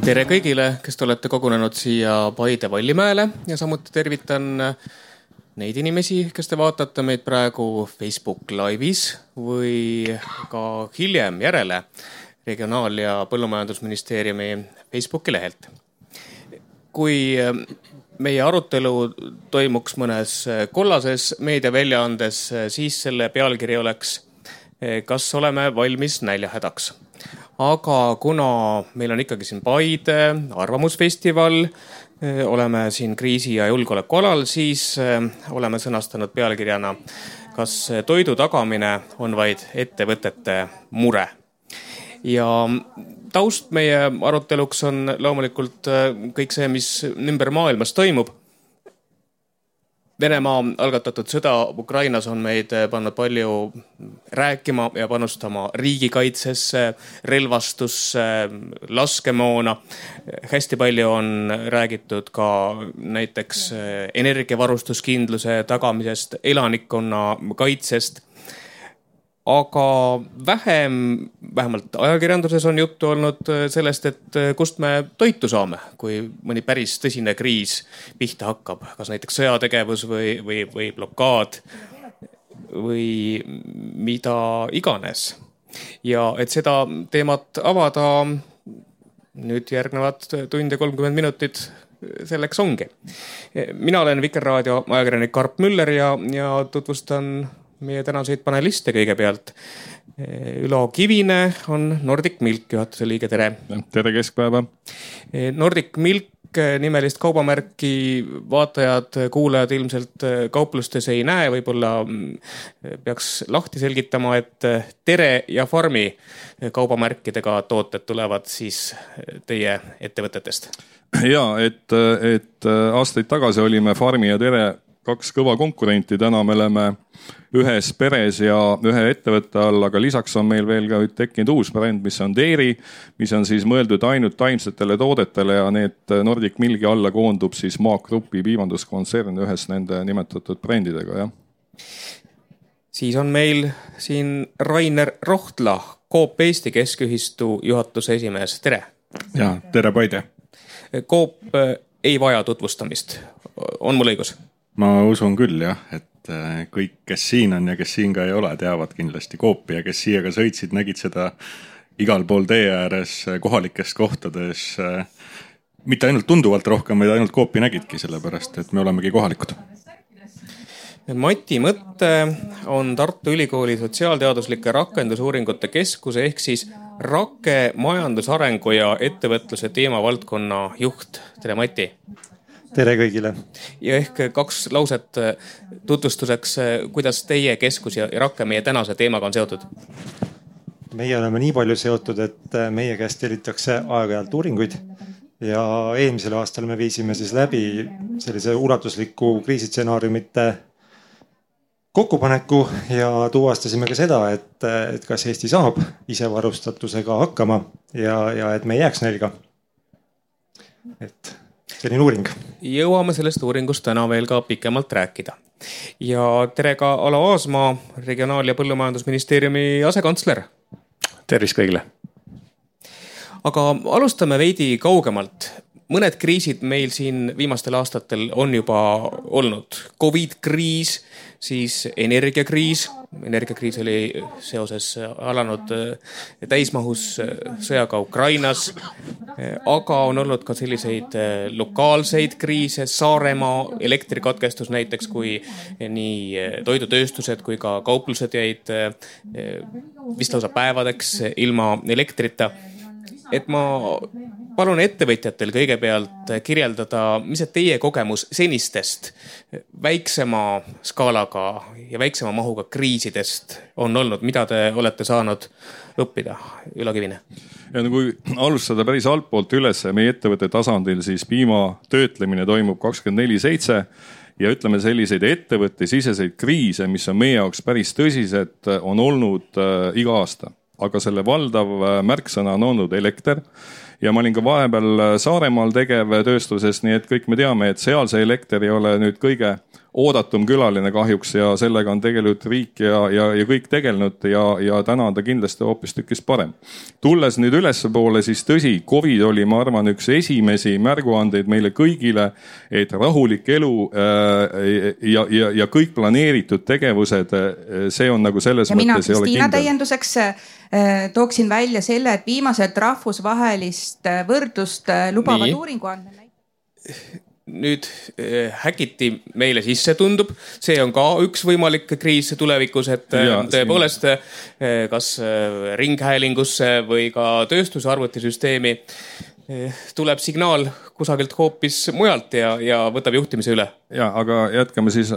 Tere kõigile, kes te olete kogunenud siia Paide Vallimäele ja samuti tervitan neid inimesi, kes te vaatate meid praegu Facebook Live'is või ka hiljem järele Regionaal- ja Põllumajandusministeeriumi Facebooki lehelt. Kui meie arutelu toimuks mõnes kollases meediaväljaandes, siis selle pealkiri oleks kas oleme valmis näljahädaks. Aga kuna meil on ikkagi siin Paide arvamusfestival, oleme siin kriisi- ja julgeolekualal, siis oleme sõnastanud pealkirjana, kas toidu tagamine on vaid ettevõtete mure. Ja taust meie aruteluks on loomulikult kõik see, mis ümber maailmas toimub. Venemaa algatatud sõda Ukrainas on meid pannud palju rääkima ja panustama riigikaitsesse, relvastusse, laskemoona. Hästi palju on räägitud ka näiteks energiavarustuskindluse tagamisest, elanikkonna kaitsest. Aga vähemalt ajakirjanduses on juttu olnud sellest, et kust me toitu saame, kui mõni päris tõsine kriis pihta hakkab. Kas näiteks sõjategevus või blokaad või mida iganes. Ja et seda teemat avada, nüüd järgnevad tund ja 30 minutit selleks ongi. Mina olen Vikerraadio ajakirjanik Karp Müller ja tutvustan meie tänaseid paneliste kõigepealt. Ülo Kivine on Nordic Milk juhatuse liige, tere. Tere keskpäeva. Nordic Milk nimelist kaubamärki vaatajad, kuulajad ilmselt kauplustes ei näe, võib-olla peaks lahti selgitama, et Tere ja Farmi kaubamärkidega tooted tulevad siis teie ettevõtetest. Ja, et aastaid tagasi olime Farmi ja Tere kaks kõva konkurenti, täna me oleme ühes peres ja ühe ettevõtte all, aga lisaks on meil veel ka tekkinud uus bränd, mis on Dairy, mis on siis mõeldud ainult taimsetele toodetele ja need Nordic Milgi alla koondub siis Maak Grupi piimanduskontsern ühes nende nimetatud brändidega. Ja. Siis on meil siin Rainer Rohtla, Coop Eesti Keskühistu juhatuse esimees, tere. Ja, tere Paide. Coop ei vaja tutvustamist, on mul õigus? Ma usun küll jah, et kõik, kes siin on ja kes siin ka ei ole, teavad kindlasti Coopi ja kes siia ka sõitsid, nägid seda igal pool tee ääres, kohalikes kohtades. Mitte ainult tunduvalt rohkem, vaid ainult Coopi nägidki, sellepärast, et me olemegi kohalikud. Mati Mõtte on Tartu Ülikooli sotsiaalteaduslike rakendusuuringute keskuse ehk siis Rake majandusarengu ja ettevõtluse teemavaldkonna juht. Tere Mati. Tere kõigile. Ja ehk kaks lauset tutvustuseks, kuidas teie keskus ja Rake meie tänase teemaga on seotud? Meie oleme nii palju seotud, et meie käest tellitakse aeg-ajalt uuringuid ja eelmisel aastal me viisime siis läbi sellise ulatusliku kriisitsenaariumite kokkupaneku ja tuvastasime ka seda, et kas Eesti saab isevarustatusega hakkama ja et me ei jääks nälga. Et selline uuring. Jõuame sellest uuringust täna veel ka pikemalt rääkida. Ja tere ka Alo Aasmaa, Regionaal- ja Põllumajandusministeeriumi asekantsler. Tervist kõigile. Aga alustame veidi kaugemalt. Mõned kriisid meil siin viimastel aastatel on juba olnud. Covid-kriis, siis energiakriis. Energiakriis oli seoses alanud täismahus sõjaga Ukrainas. Aga on olnud ka selliseid lokaalseid kriise, Saaremaa elektrikatkestus näiteks, kui nii toidutööstused kui ka kauplused jäid vist lausa päevadeks ilma elektrita. Et ma palun ettevõtjatel kõigepealt kirjeldada, mis on teie kogemus senistest väiksema skaalaga ja väiksema mahuga kriisidest on olnud, mida te olete saanud õppida, Ülo Kivine? Ja kui alustada päris altpoolt üles meie ettevõtte tasandil, siis piima töötlemine toimub 24/7 ja ütleme selliseid ettevõtte siseseid kriise, mis on meie jaoks päris tõsised, on olnud iga aasta. Aga selle valdav märksõna on olnud elekter ja ma olin ka vahepeal Saaremaal tegev tööstuses, nii et kõik me teame, et seal see elekter ei ole nüüd kõige oodatum külaline kahjuks ja sellega on tegelikult riik ja kõik tegelenud ja täna on ta kindlasti hoopistükkis parem. Tulles nüüd ülespoole, siis tõsi, COVID oli, ma arvan, üks esimesi märguandeid meile kõigile, et rahulik elu ja kõik planeeritud tegevused, see on nagu selles ja mõttes ei ole Kristiina kindel. Täienduseks tooksin välja selle, et viimaselt rahvusvahelist võrdlust lubavad uuringu andmed. Nüüd häkiti meile sisse tundub, see on ka üks võimalik kriis tulevikus, et tõepoolest kas ringhäälingusse või ka tööstuse arvutisüsteemi tuleb signaal kusagilt hoopis mujalt ja võtab juhtimise üle. Ja, aga jätkame siis,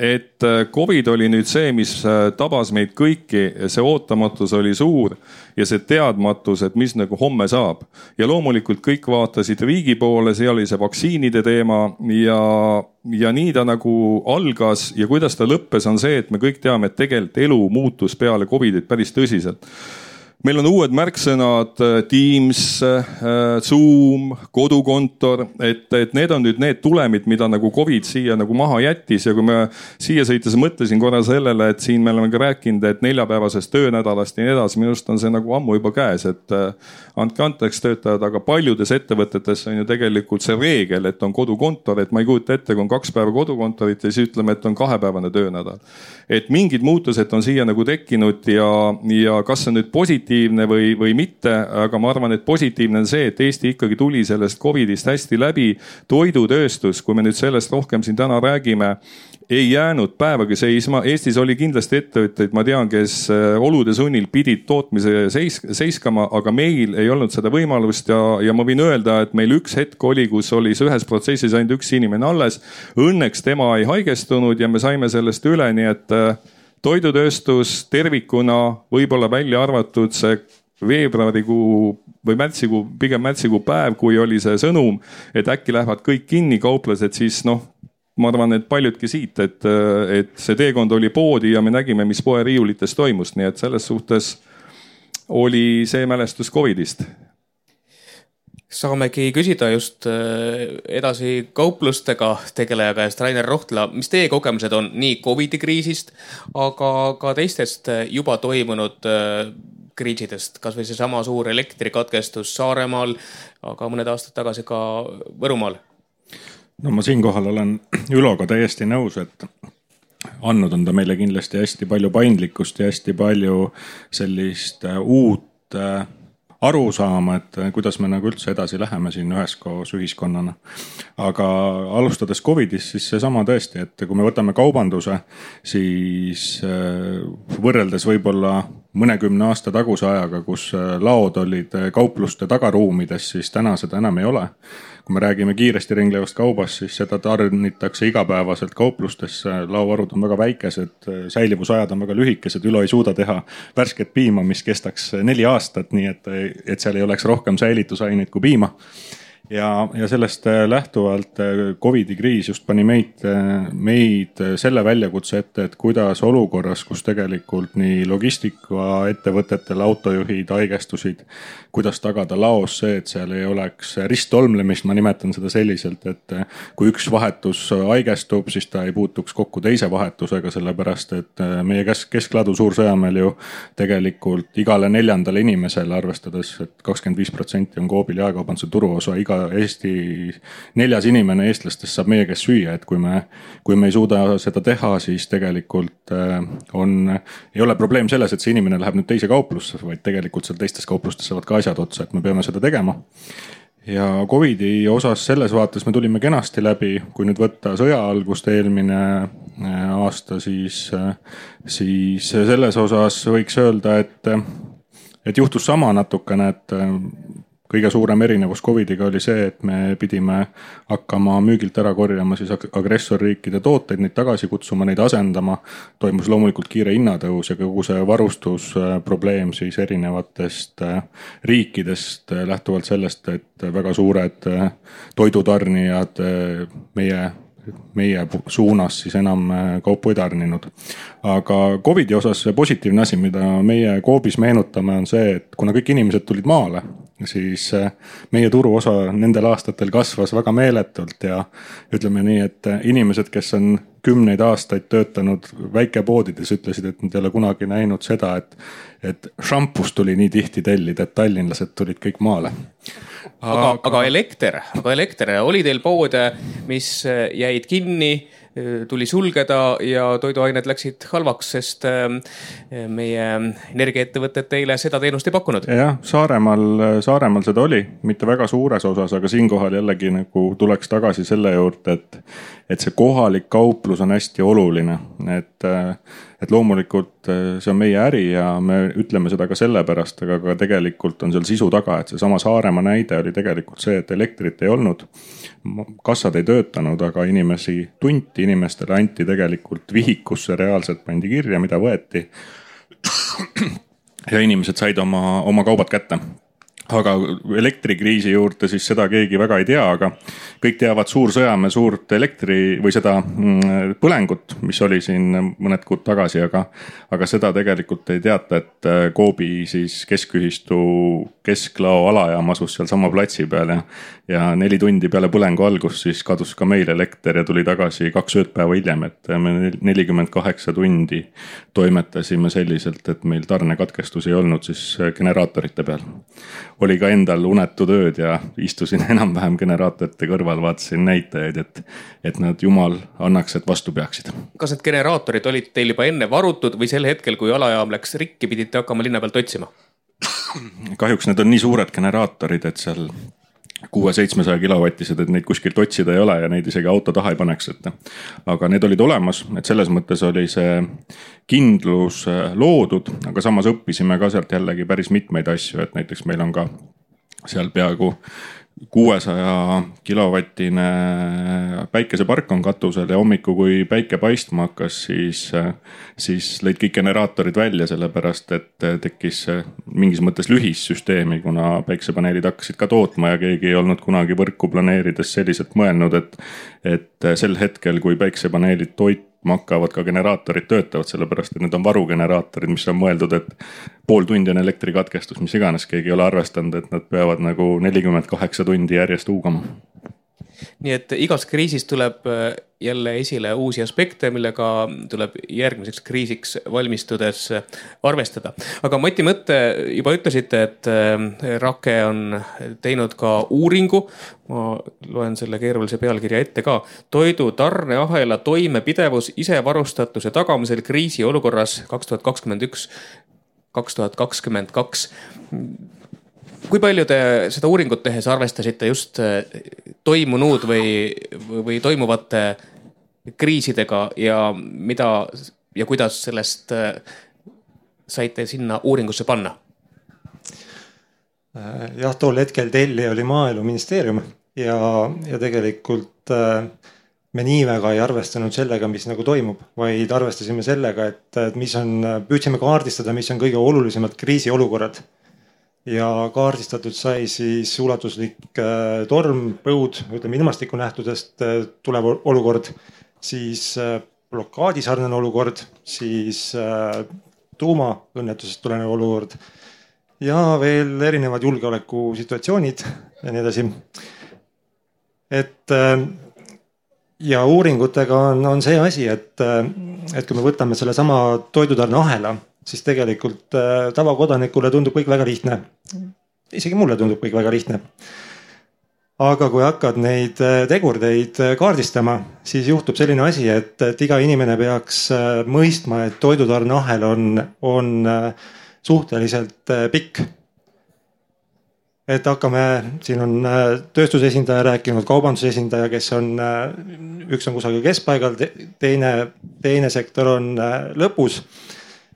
et COVID oli nüüd see, mis tabas meid kõiki, see ootamatus oli suur ja see teadmatus, et mis nagu homme saab. Ja loomulikult kõik vaatasid riigi poole, see oli see vaktsiinide teema ja nii ta nagu algas ja kuidas ta lõppes on see, et me kõik teame, et tegelikult elu muutus peale COVIDit päris tõsiselt. Meil on uued märksõnad, Teams, Zoom, kodukontor, et need on nüüd need tulemid, mida nagu COVID siia nagu maha jättis ja kui me siia sõites mõtlesin korra sellele, et siin me oleme ka rääkinud, et 4-päevasest töönädalast ja nii edasi, minust on see nagu ammu juba käes, et andke anteks töötajad, aga paljudes ettevõtetes on ju tegelikult see reegel, et on kodukontor, et ma ei kujuta ette, kui on 2 päeva kodukontorit ja siis ütleme, et on 2-päevane töönädal. Et mingid muutused on siia nagu tekkinud ja kas on nüüd positiivne või mitte, aga ma arvan, et positiivne on see, et Eesti ikkagi tuli sellest COVIDist hästi läbi. Toidutööstus, kui me nüüd sellest rohkem siin täna räägime, ei jäänud päevagi seisma. Eestis oli kindlasti ettevõtteid, ma tean, kes olude sunnil pidid tootmise seiskama, aga meil ei olnud seda võimalust ja ma võin öelda, et meil üks hetk oli, kus oli ühes protsessis ainult üks inimene alles. Õnneks tema ei haigestunud ja me saime sellest üle, nii et toidutööstus tervikuna võib-olla välja arvatud see veebruarikuu või pigem märtsikuu päev, kui oli see sõnum, et äkki lähevad kõik kinni kauplased, siis ma arvan, et paljudki siit, et see teekond oli poodi ja me nägime, mis poe riiulites toimus, nii et selles suhtes oli see mälestus COVIDist. Saamegi küsida just edasi kauplustega tegeleja käest Rainer Rohtla, mis teie kogemused on nii COVID-i kriisist, aga ka teistest juba toimunud kriisidest, kas või see sama suur elektrikatkestus Saaremaal, aga mõned aastad tagasi ka Võrumaal? No ma siinkohal olen Üloga täiesti nõus, et andnud on ta meile kindlasti hästi palju paindlikkust ja hästi palju sellist uut arusaama, et kuidas me nagu üldse edasi läheme siin üheskoos ühiskonnana. Aga alustades COVIDist, siis seesama tõesti, et kui me võtame kaubanduse, siis võrreldes võib-olla mõnekümne aasta taguse ajaga, kus laod olid kaupluste tagaruumides, siis täna seda enam ei ole. Kui me räägime kiiresti ringlevast kaubast, siis seda tarnitakse igapäevaselt kauplustesse. Lauvarud on väga väikesed, säilivusajad on väga lühikesed, Ülo ei suuda teha värsket piima, mis kestaks 4 aastat, nii et seal ei oleks rohkem säilitusaineid kui piima. Ja sellest lähtuvalt COVIDi kriis just pani meid selle väljakutse ette, et kuidas olukorras, kus tegelikult nii logistikaettevõtetel autojuhid haigestusid, kuidas tagada laos see, et seal ei oleks risttolmlemist, ma nimetan seda selliselt, et kui üks vahetus haigestub, siis ta ei puutuks kokku teise vahetusega, sellepärast et meie keskladu Suur-Sõjamäel ju tegelikult igale 4. inimesele, arvestades, et 25% on Coobil jaekaubanduse turuosa, Eesti 4. inimene eestlastest saab meie käest süüa, et kui me ei suuda seda teha, siis tegelikult ei ole probleem selles, et see inimene läheb nüüd teise kauplusse, vaid tegelikult seal teistes kauplustes saavad ka asjad otsa, et me peame seda tegema. Ja COVIDi osas selles vaates me tulime kenasti läbi, kui nüüd võtta sõja algust eelmine aasta, siis selles osas võiks öelda, et juhtus sama natukene, et kõige suurem erinevus COVIDiga oli see, et me pidime hakkama müügilt ära korjama siis agressorriikide tooteid, neid tagasi kutsuma, neid asendama. Toimus loomulikult kiire hinnatõus ja kogu see varustusprobleem siis erinevatest riikidest lähtuvalt sellest, et väga suured toidutarnijad meie suunas siis enam kaupu ei tarninud. Aga COVIDi osas positiivne asi, mida meie Coopis meenutame, on see, et kuna kõik inimesed tulid maale, siis meie turuosa nendel aastatel kasvas väga meeletult ja ütleme nii, et inimesed, kes on 10 aastaid töötanud väikepoodides, ütlesid, et nad ei ole kunagi näinud seda, et šampust tuli nii tihti tellida, et tallinlased tulid kõik maale. Aga elekter, oli teil poode, mis jäid kinni, tuli sulgeda ja toiduained läksid halvaks, sest meie energiaettevõtted teile seda teenust ei pakkunud? Jah, Saaremaal seda oli, mitte väga suures osas, aga siinkohal jällegi nagu tuleks tagasi selle juurde, et see kohalik kauplus on hästi oluline, et loomulikult see on meie äri ja me ütleme seda ka sellepärast, aga tegelikult on seal sisu taga, et see sama Saaremaa näide oli tegelikult see, et elektrit ei olnud, kassad ei töötanud, aga inimestele anti tegelikult vihikusse, reaalselt pandi kirja, mida võeti ja inimesed said oma kaubad kätte. Aga elektrikriisi juurde siis seda keegi väga ei tea, aga kõik teavad Suur-Sõjamäe suurt elektri või seda põlengut, mis oli siin mõned kuud tagasi, aga seda tegelikult ei teata, et Coopi siis keskühistu kesklao alajaam asus seal sama platsi peal ja 4 tundi peale põlengu algust siis kadus ka meil elekter ja tuli tagasi 2 öödpäeva hiljem, et me 48 tundi toimetasime selliselt, et meil tarnekatkestus ei olnud siis generaatorite peal. Oli ka endal unetud ööd ja istusin enam-vähem generaatorite kõrval, vaatasin näitajaid, et nad jumal annaks, et vastu peaksid. Kas need generaatorid olid teil juba enne varutud või sel hetkel, kui alajaam läks rikki, pidite hakkama linna pealt otsima? Kahjuks need on nii suured generaatorid, et seal 600-700 kilovatised, et neid kuskilt otsida ei ole ja neid isegi auto taha ei paneks. Aga need olid olemas, et selles mõttes oli see kindlus loodud, aga samas õppisime ka sealt jällegi päris mitmeid asju, et näiteks meil on ka seal peaaegu 600 kilovatine päikesepark on katusel ja hommiku, kui päike paistma hakkas, siis lõid kõik generaatorid välja, sellepärast et tekkis mingis mõttes lühissüsteemi, kuna päikesepaneelid hakkasid ka tootma ja keegi ei olnud kunagi võrku planeerides selliselt mõelnud, et sel hetkel, kui päikesepaneelid toitma hakkavad, ka generaatorid töötavad, sellepärast et need on varugeneraatorid, mis on mõeldud, et pool tundi on elektrikatkestus, mis iganes, keegi ei ole arvestanud, et nad peavad nagu 48 tundi järjest huugama. Nii et igas kriisis tuleb jälle esile uusi aspekte, millega tuleb järgmiseks kriisiks valmistudes arvestada. Aga Mati Mõtte, juba ütlesite, et Rake on teinud ka uuringu. Ma loen selle keerulise pealkirja ette ka. Toidu tarneahela toimepidevus isevarustatuse tagamisel kriisiolukorras 2021-2022. Kui palju te seda uuringut tehes arvestasite just toimunud või toimuvate kriisidega ja mida ja kuidas sellest saite sinna uuringusse panna? Jah, tol hetkel telli oli Maaeluministeerium ja tegelikult me nii väga ei arvestanud sellega, mis nagu toimub, vaid arvestasime sellega, et püüdsime kaardistada, mis on kõige olulisemad kriisiolukorrad. Ja kaardistatud sai siis ulatuslik torm, põud, ütleme ilmastikunähtudest tulev olukord, siis blokaadisarnane olukord, siis tuumaõnnetusest tulenev olukord ja veel erinevad julgeolekusituatsioonid ja nii edasi. Ja uuringutega on see asi, et kui me võtame selle sama toidutarneahela, siis tegelikult tavakodanikule tundub kõik väga lihtne. Isegi mulle tundub kõik väga lihtne. Aga kui hakkad neid tegurdeid kaardistama, siis juhtub selline asi, et iga inimene peaks mõistma, et toidutarneahel on suhteliselt pikk. Et hakkame, siin on tööstusesindaja rääkinud, kaubandusesindaja, kes on, üks on kusagil keskpaigal, teine sektor on lõpus.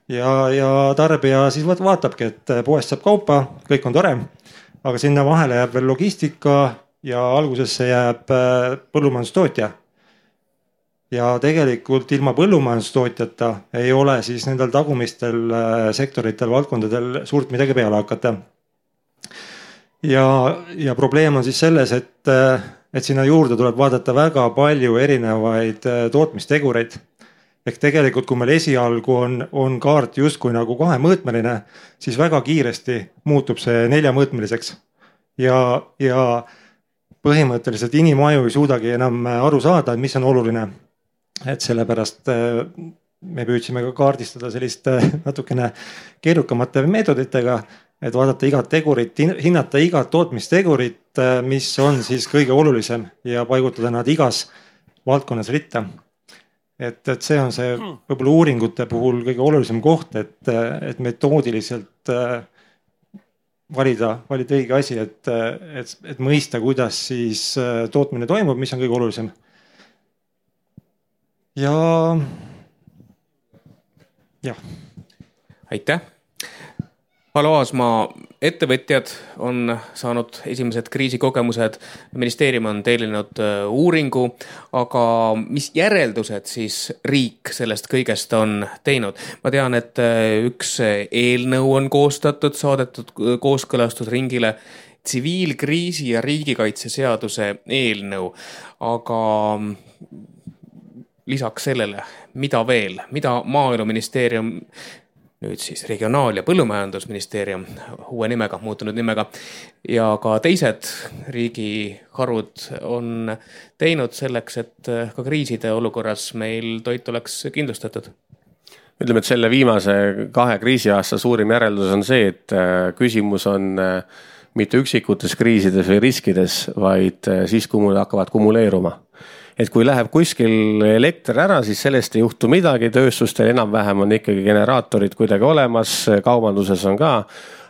Ja tarbija siis vaatabki, et poest saab kaupa, kõik on tore, aga sinna vahele jääb veel logistika ja algusesse jääb põllumajandustootja. Ja tegelikult ilma põllumajandustootjata ei ole siis nendel tagumistel sektoritel, valdkondadel suurt midagi peale hakata. Ja probleem on siis selles, et sinna juurde tuleb vaadata väga palju erinevaid tootmistegureid. Ehk tegelikult, kui meil esialgu on kaart justkui nagu 2-mõõtmeline, siis väga kiiresti muutub see 4-mõõtmeliseks. ja põhimõtteliselt inimaju ei suudagi enam aru saada, mis on oluline. Et sellepärast me püüdsime ka kaardistada sellist natukene keerukamate meetoditega, et vaadata igat tegurit, hinnata igat tootmistegurit, mis on siis kõige olulisem ja paigutada nad igas valdkonnas ritta. Et see on see võib-olla uuringute puhul kõige olulisem koht, et metoodiliselt valida õige asi, et mõista, kuidas siis tootmine toimub, mis on kõige olulisem. Ja. Aitäh. Palo Aasmaa ettevõtjad on saanud esimesed kriisikogemused, ministeerium on tellinud uuringu, aga mis järeldused siis riik sellest kõigest on teinud? Ma tean, et üks eelnõu on koostatud, saadetud kooskõlastusringile, tsiviilkriisi ja riigikaitseseaduse eelnõu, aga lisaks sellele, mida veel, mida Maaeluministeerium, nüüd siis Regionaal- ja Põllumajandusministeerium uue nimega, muutunud nimega ja ka teised riigiharud on teinud selleks, et ka kriiside olukorras meil toit oleks kindlustatud? Ütleme, et selle viimase 2 kriisiaasta suurim järeldus on see, et küsimus on mitte üksikutes kriisides või riskides, vaid siis, kui mul hakkavad kumuleeruma. Et kui läheb kuskil elekter ära, siis sellest ei juhtu midagi, tööstustel enam-vähem on ikkagi generaatorid kuidagi olemas, kaubanduses on ka,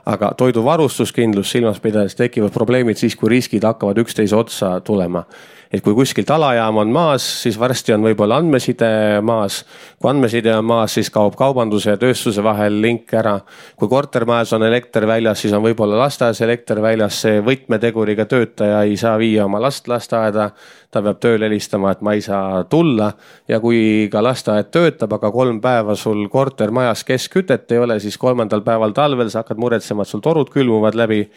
aga toiduvarustuskindlus silmas pidades tekivad probleemid siis, kui riskid hakkavad üksteise otsa tulema. Et kui kuskilt alajaam on maas, siis varsti on võib-olla andmeside maas. Kui andmeside on maas, siis kaob kaubanduse ja tööstuse vahel link ära. Kui kortermajas on elekter väljas, siis on võib-olla lasteaias elekter väljas. See võtmeteguriga töötaja ei saa viia oma last lasteaeda. Ta peab tööle helistama, et ma ei saa tulla. Ja kui ka lasteaed töötab, aga 3 päeva sul kortermajas keskkütet ei ole, siis 3. päeval talvel sa hakkad muretsema, et sul torud külmuvad läbi.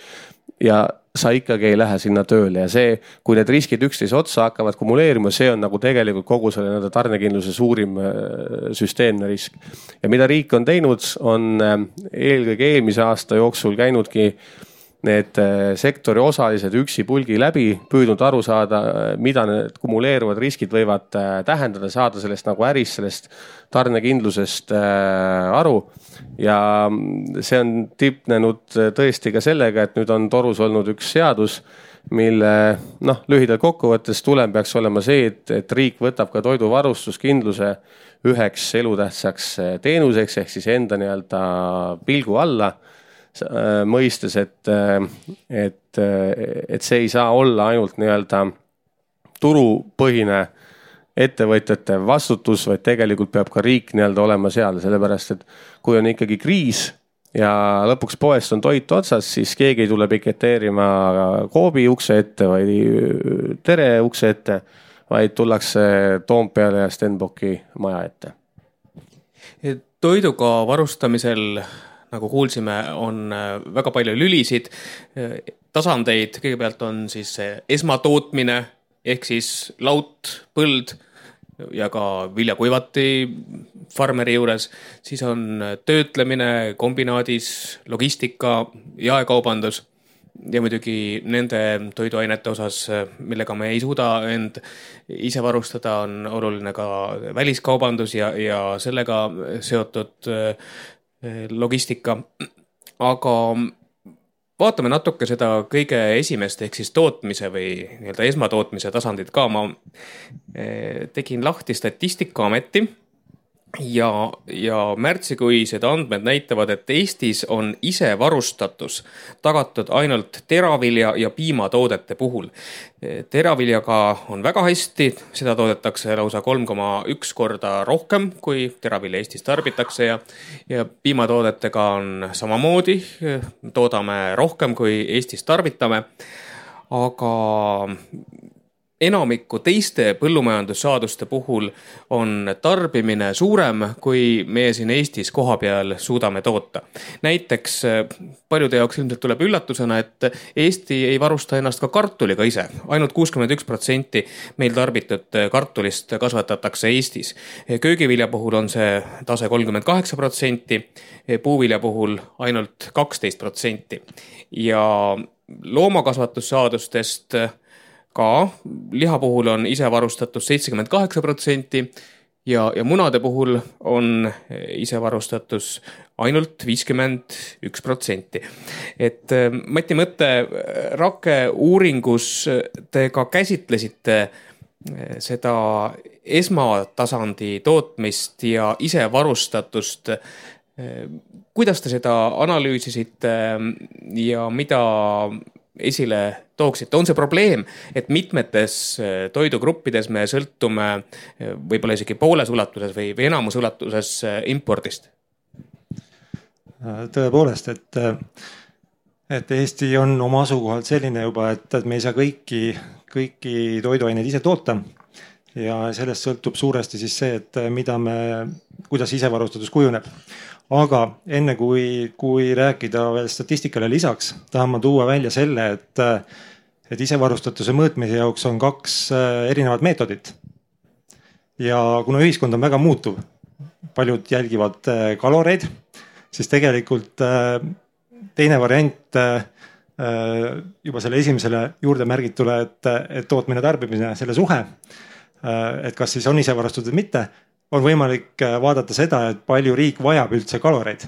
Ja sa ikkagi ei lähe sinna tööle ja see, kui need riskid üksteise otsa hakkavad kumuleerima, see on nagu tegelikult kogu selle tarnekindluse suurim süsteemne risk. Ja mida riik on teinud, on eelkõige eelmise aasta jooksul käinudki need sektori osalised üksi pulgi läbi, püüdnud aru saada, mida need kumuleeruvad riskid võivad tähendada, saada sellest nagu äris, sellest tarnekindlusest aru. Ja see on tipnenud tõesti ka sellega, et nüüd on torus olnud üks seadus, mille lühidalt kokkuvõttes tulem peaks olema see, et riik võtab ka toiduvarustuskindluse üheks elutähtsaks teenuseks ehk siis enda nii-öelda pilgu alla, mõistes, et see ei saa olla ainult nii-öelda turupõhine ettevõtjate vastutus, vaid tegelikult peab ka riik nii-öelda olema seal, sellepärast et kui on ikkagi kriis ja lõpuks poest on toit otsas, siis keegi ei tule piketeerima Coopi ukse ette või Tere ukse ette, vaid tullakse Toompeale ja Stenbocki maja ette. Toiduga varustamisel, nagu kuulsime, on väga palju lülisid, tasandeid. Kõigepealt on siis esmatootmine ehk siis laut, põld ja ka viljakuivati farmeri juures. Siis on töötlemine kombinaadis, logistika, jaekaubandus ja muidugi nende toiduainete osas, millega me ei suuda end ise varustada, on oluline ka väliskaubandus ja sellega seotud logistika. Aga vaatame natuke seda kõige esimest ehk siis tootmise või nii-öelda esmatootmise tasandit ka. Ma tegin lahti Statistikaameti ja märtsikuised andmed näitavad, et Eestis on isevarustatus tagatud ainult teravilja ja piimatoodete puhul. Teraviljaga on väga hästi, seda toodetakse lausa 3,1 korda rohkem, kui teravilja Eestis tarbitakse ja piimatoodetega on samamoodi, toodame rohkem, kui Eestis tarbitame, aga enamiku teiste põllumajandussaaduste puhul on tarbimine suurem, kui meie siin Eestis kohapeal suudame toota. Näiteks paljude jaoks ilmselt tuleb üllatusena, et Eesti ei varusta ennast ka kartuliga ise. Ainult 61% meil tarbitud kartulist kasvatatakse Eestis. Köögivilja puhul on see tase 38%, puuvilja puhul ainult 12%. Ja loomakasvatussaadustest ka liha puhul on isevarustatus 78% ja munade puhul on isevarustatus ainult 51%. Et Mati Mõtte Rake uuringus te ka käsitlesite seda esmatasandi tootmist ja isevarustatust. Kuidas te seda analüüsisite ja mida esile tooksite? On see probleem, et mitmetes toidugruppides me sõltume võib-olla isegi pooles ulatuses või enamus ulatuses impordist? Tõepoolest, et Eesti on oma asukohalt selline juba, et me ei saa kõiki toiduaineid ise toota ja sellest sõltub suuresti siis see, et kuidas isevarustatus kujuneb. Aga enne kui rääkida veel statistikale lisaks, tahan ma tuua välja selle, et isevarustatuse mõõtmise jaoks on 2 erinevat meetodit. Ja kuna ühiskond on väga muutuv, paljud jälgivad kaloreid, siis tegelikult teine variant juba selle esimesele juurde märgitule, et tootmine tarbimine, selle suhe, et kas siis on isevarustatud või mitte, on võimalik vaadata seda, et palju riik vajab üldse kaloreid.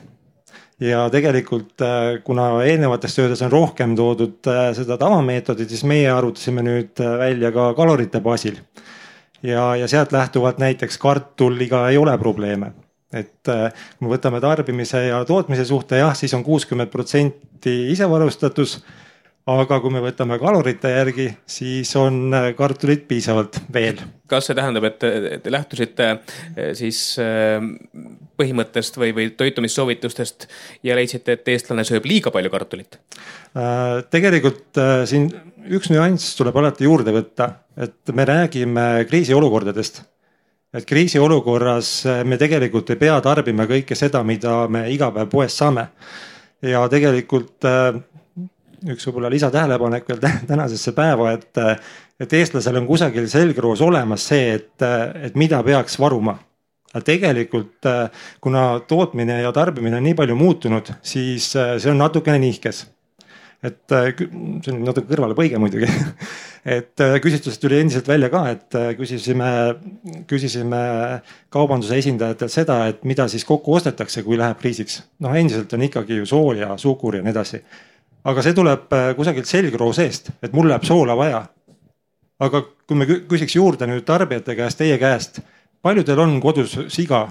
Ja tegelikult, kuna eelnevates töödes on rohkem toodud seda tavameetodit, siis meie arvutasime nüüd välja ka kalorite baasil. Ja sealt lähtuvalt näiteks kartuliga ei ole probleeme. Et kui me võtame tarbimise ja tootmise suhte, jah, siis on 60% isevarustatus. Aga kui me võtame kalorite järgi, siis on kartulit piisavalt veel. Kas see tähendab, et te lähtusite siis põhimõttest või toitumissoovitustest ja leidsite, et eestlane sööb liiga palju kartulit? Tegelikult siin üks nüanss tuleb alati juurde võtta, et me räägime kriisiolukordadest. Et kriisiolukorras me tegelikult ei pea tarbima kõike seda, mida me iga päev poest saame. Ja tegelikult üks võib-olla lisatähelepanek veel tänasesse päeva, et eestlasel on kusagil selgroos olemas see, et mida peaks varuma. Tegelikult, kuna tootmine ja tarbimine on nii palju muutunud, siis see on natukene nihkes. Et see on natuke kõrvale põige muidugi. Et küsitlusest tuli endiselt välja ka, et küsisime kaubanduse esindajatelt seda, et mida siis kokku ostetakse, kui läheb kriisiks. Endiselt on ikkagi ju sool ja suhkur ja nii edasi. Aga see tuleb kusagilt selgroo seest, et mul läheb soola vaja. Aga kui me küsiks juurde nüüd tarbijate käest, teie käest, paljudel on kodus siga,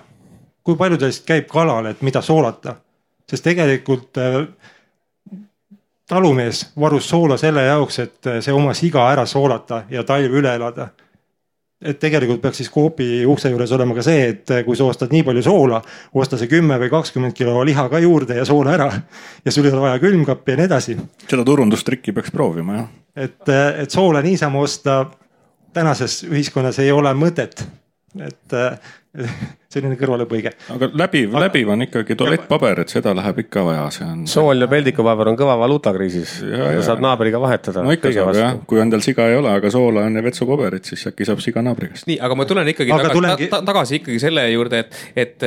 kui paljudel käib kalal, et mida soolata, sest tegelikult talumees varus soola selle jaoks, et see oma siga ära soolata ja talv üle elada. Et tegelikult peaks siis koopi ukse juures olema ka see, et kui sa ostad nii palju soola, osta see 10 või 20 kilo liha ka juurde ja soola ära ja sul ei ole vaja külmkappi ja nii edasi. Seda turundustrikki peaks proovima, jah. Et soola niisama osta tänases ühiskonnas ei ole mõtet. Et selline kõrvalepõige. Aga läbiv on ikkagi tualettpaber, et seda läheb ikka vaja. Sool ja peldikupaber on kõva valuutakriisis ja saab naabriga vahetada. No ikka saab, jah. Kui on tal siga ei ole, aga soola on ja vetsupaberit, siis äkki saab siga naabrigast. Nii, aga ma tulen ikkagi tagasi ikkagi selle juurde, et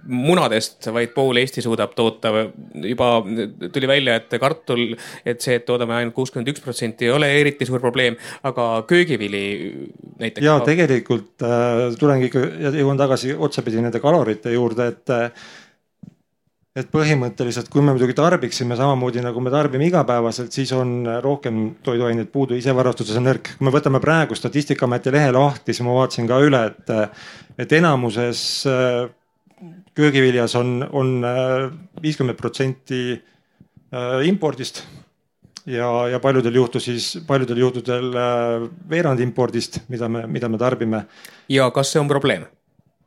munadest vaid pool Eesti suudab toota. Juba tuli välja, et kartul, et see, et toodame ainult 61% ei ole eriti suur probleem, aga köögivili näiteks. Ja tegelikult tulengi ikka jõuan tagasi otsapidi nende kalorite juurde, et põhimõtteliselt, kui me muidugi tarbiksime samamoodi nagu me tarbime igapäevaselt, siis on rohkem toiduaineid puudu, isevarustuses on nõrk. Kui me võtame praegu Statistikaameti lehe lahti, siis ma vaatasin ka üle, et enamuses köögiviljas on 50% impordist ja paljudel juhtudel veerand impordist, mida me tarbime. Ja kas see on probleem?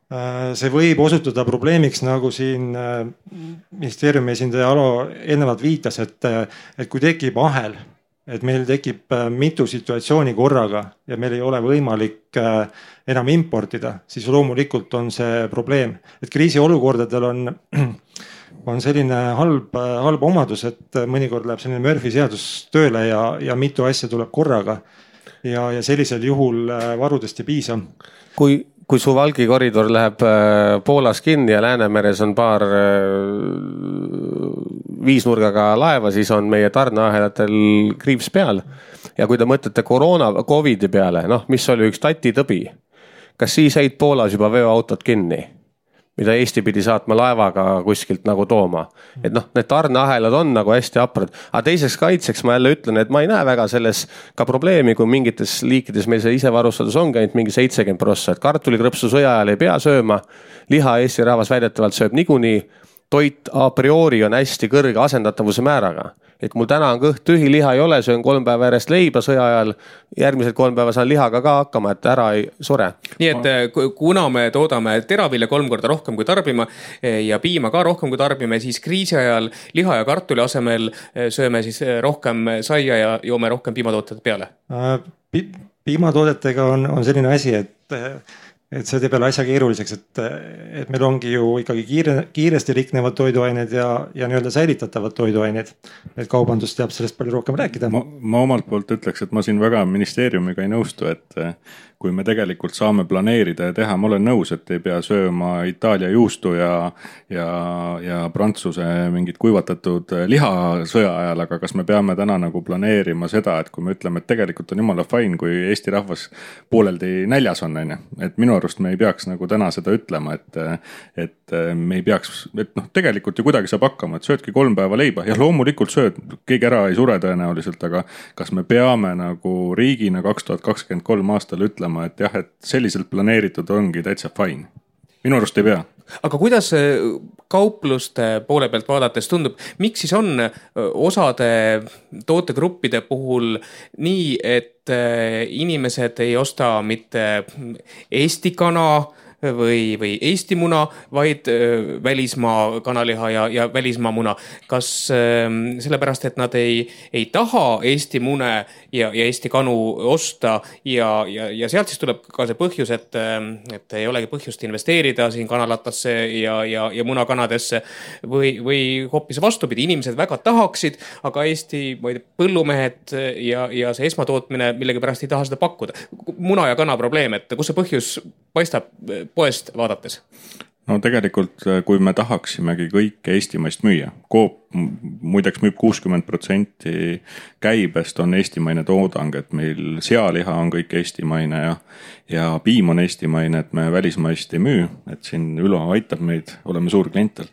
See võib osutuda probleemiks, nagu siin ministeeriumi esindaja Alo ennevalt viitas, et kui tekib ahel, et meil tekib mitu situatsiooni korraga ja meil ei ole võimalik enam importida, siis loomulikult on see probleem. Et kriisiolukordadel on selline halb omadus, et mõnikord läheb selline Murphy seadus tööle ja mitu asja tuleb korraga ja sellisel juhul varudest ei piisa. Kui su Valgi koridor läheb Poolas kinni ja Läänemeres on paar viisnurgaga laeva, siis on meie tarneahelatel kriips peal. Ja kui te mõtlete Covidi peale, mis oli üks tatitõbi, kas siis jäid Poolas juba veoautot kinni, mida Eesti pidi saatma laevaga kuskilt nagu tooma. Et need tarneahelad on nagu hästi haprad. Aga teiseks kaitseks ma jälle ütlen, et ma ei näe väga selles ka probleemi, kui mingites liikides meil see isevarustadus ongi ainult mingi 70%, et kartulikrõpsu sõja ajal ei pea sööma, liha Eesti rahvas väidetavalt sööb niikuinii, toit a priori on hästi kõrge asendatavuse määraga. Et mul täna on kõht tühi, liha ei ole, söön 3 päeva järjest leiba sõja ajal, järgmised 3 päeva saan lihaga ka hakkama, et ära ei sure. Nii et kuna me toodame teravilja 3 korda rohkem kui tarbime ja piima ka rohkem kui tarbime, siis kriisi ajal liha ja kartuli asemel sööme siis rohkem saia ja joome rohkem piimatooted peale. Piimatoodetega on selline asi, et see teeb jälle asja keeruliseks, et meil ongi ju ikkagi kiiresti riknevad toiduained ja nii-öelda säilitatavad toiduained. Et kaubandus teab sellest palju rohkem rääkida. Ma omalt poolt ütleks, et ma siin väga ministeeriumiga ei nõustu, et kui me tegelikult saame planeerida ja teha, ma olen nõus, et ei pea sööma Itaalia juustu ja Prantsuse mingid kuivatatud liha sõja ajal, aga kas me peame täna nagu planeerima seda, et kui me ütleme, et tegelikult on jumala fine, kui Eesti rahvas pooleldi näljas on, et minu arust me ei peaks nagu täna seda ütlema, et me ei peaks, et tegelikult ju kuidagi saab hakkama, et söödki 3 päeva leiba ja loomulikult sööd, keegi ära ei sure tõenäoliselt, aga kas me peame nagu riigina 2023 aastal ütlema, et jah, et selliselt planeeritud ongi täitsa fine. Minu arust ei pea. Aga kuidas kaupluste poole pealt vaadates tundub, miks siis on osade tootegruppide puhul nii, et inimesed ei osta mitte Eesti kana või Eesti muna, vaid välismaa kanaliha ja välismaa muna. Kas sellepärast, et nad ei taha Eesti mune ja Eesti kanu osta ja sealt siis tuleb ka see põhjus, et ei olegi põhjust investeerida siin kanalatasse ja munakanadesse või hoopis vastupidi, inimesed väga tahaksid, aga Eesti põllumehed ja see esmatootmine millegipärast ei taha seda pakkuda. Muna ja kana probleem, et kus see põhjus paistab poest vaadates? No tegelikult, kui me tahaksimegi kõike eestimaist müüa, Coop muideks müüb 60% käibest on eestimaine toodang, et meil sealiha on kõik eestimaine ja piim on eestimaine, et me välismaist ei müü, et siin Ülo aitab meid, oleme suur klientel.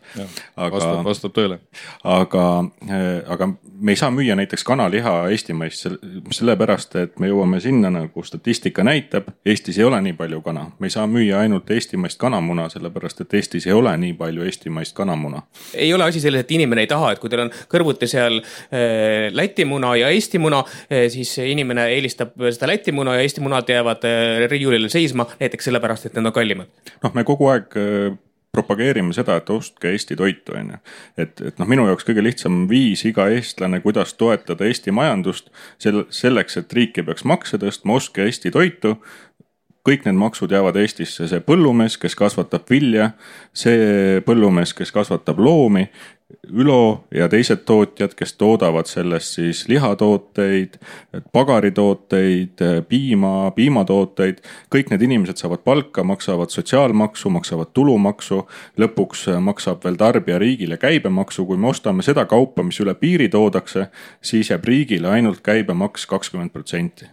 Vastab tõele. Aga me ei saa müüa näiteks kanaliha eestimaist sellepärast, et me jõuame sinna, nagu statistika näitab, Eestis ei ole nii palju kana. Me ei saa müüa ainult eestimaist kanamuna, sellepärast, et Eestis ei ole nii palju eestimaist kanamuna. Ei ole asi selles, et inimene ei taha, et kui teil on kõrvuti seal Läti muna ja Eesti muna, siis inimene eelistab seda Läti muna ja Eesti munad jäävad riiulile seisma, näiteks sellepärast, et need on kallimad. Me kogu aeg propageerime seda, et ostke Eesti toitu. Et minu jaoks kõige lihtsam viis iga eestlane, kuidas toetada Eesti majandust selleks, et riik ei peaks makse tõstma, ostke Eesti toitu. Kõik need maksud jäävad Eestisse, see põllumees, kes kasvatab vilja, see põllumees, kes kasvatab loomi, Ülo ja teised tootjad, kes toodavad sellest siis lihatooteid, pagaritooteid, piimatooteid, kõik need inimesed saavad palka, maksavad sotsiaalmaksu, maksavad tulumaksu, lõpuks maksab veel tarbija riigile käibemaksu. Kui me ostame seda kaupa, mis üle piiri toodakse, siis jääb riigile ainult käibemaks 20%.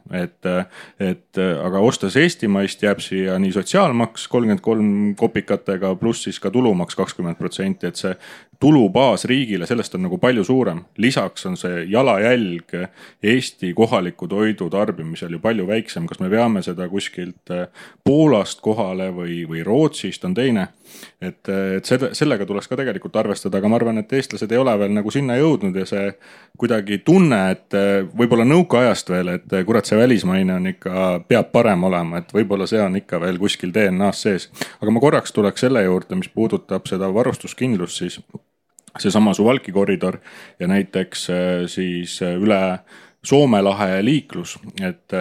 Aga ostes eestimaist jääb siia nii sotsiaalmaks 33 kopikatega pluss siis ka tulumaks 20%, et see tulubaas riigile, sellest on nagu palju suurem. Lisaks on see jalajälg Eesti kohaliku toidu tarbimisel ju palju väiksem. Kas me peame seda kuskilt Poolast kohale või Rootsist on teine. Et sellega tuleks ka tegelikult arvestada, aga ma arvan, et eestlased ei ole veel nagu sinna jõudnud ja see kuidagi tunne, et võib-olla nõukaajast veel, et kurat see välismaine on ikka, peab parem olema, et võib-olla see on ikka veel kuskil DNA-s sees. Aga ma korraks tuleks selle juurde, mis puudutab seda varustuskindlust, siis seesama Suwałki koridor ja näiteks siis üle Soome lahe liiklus, et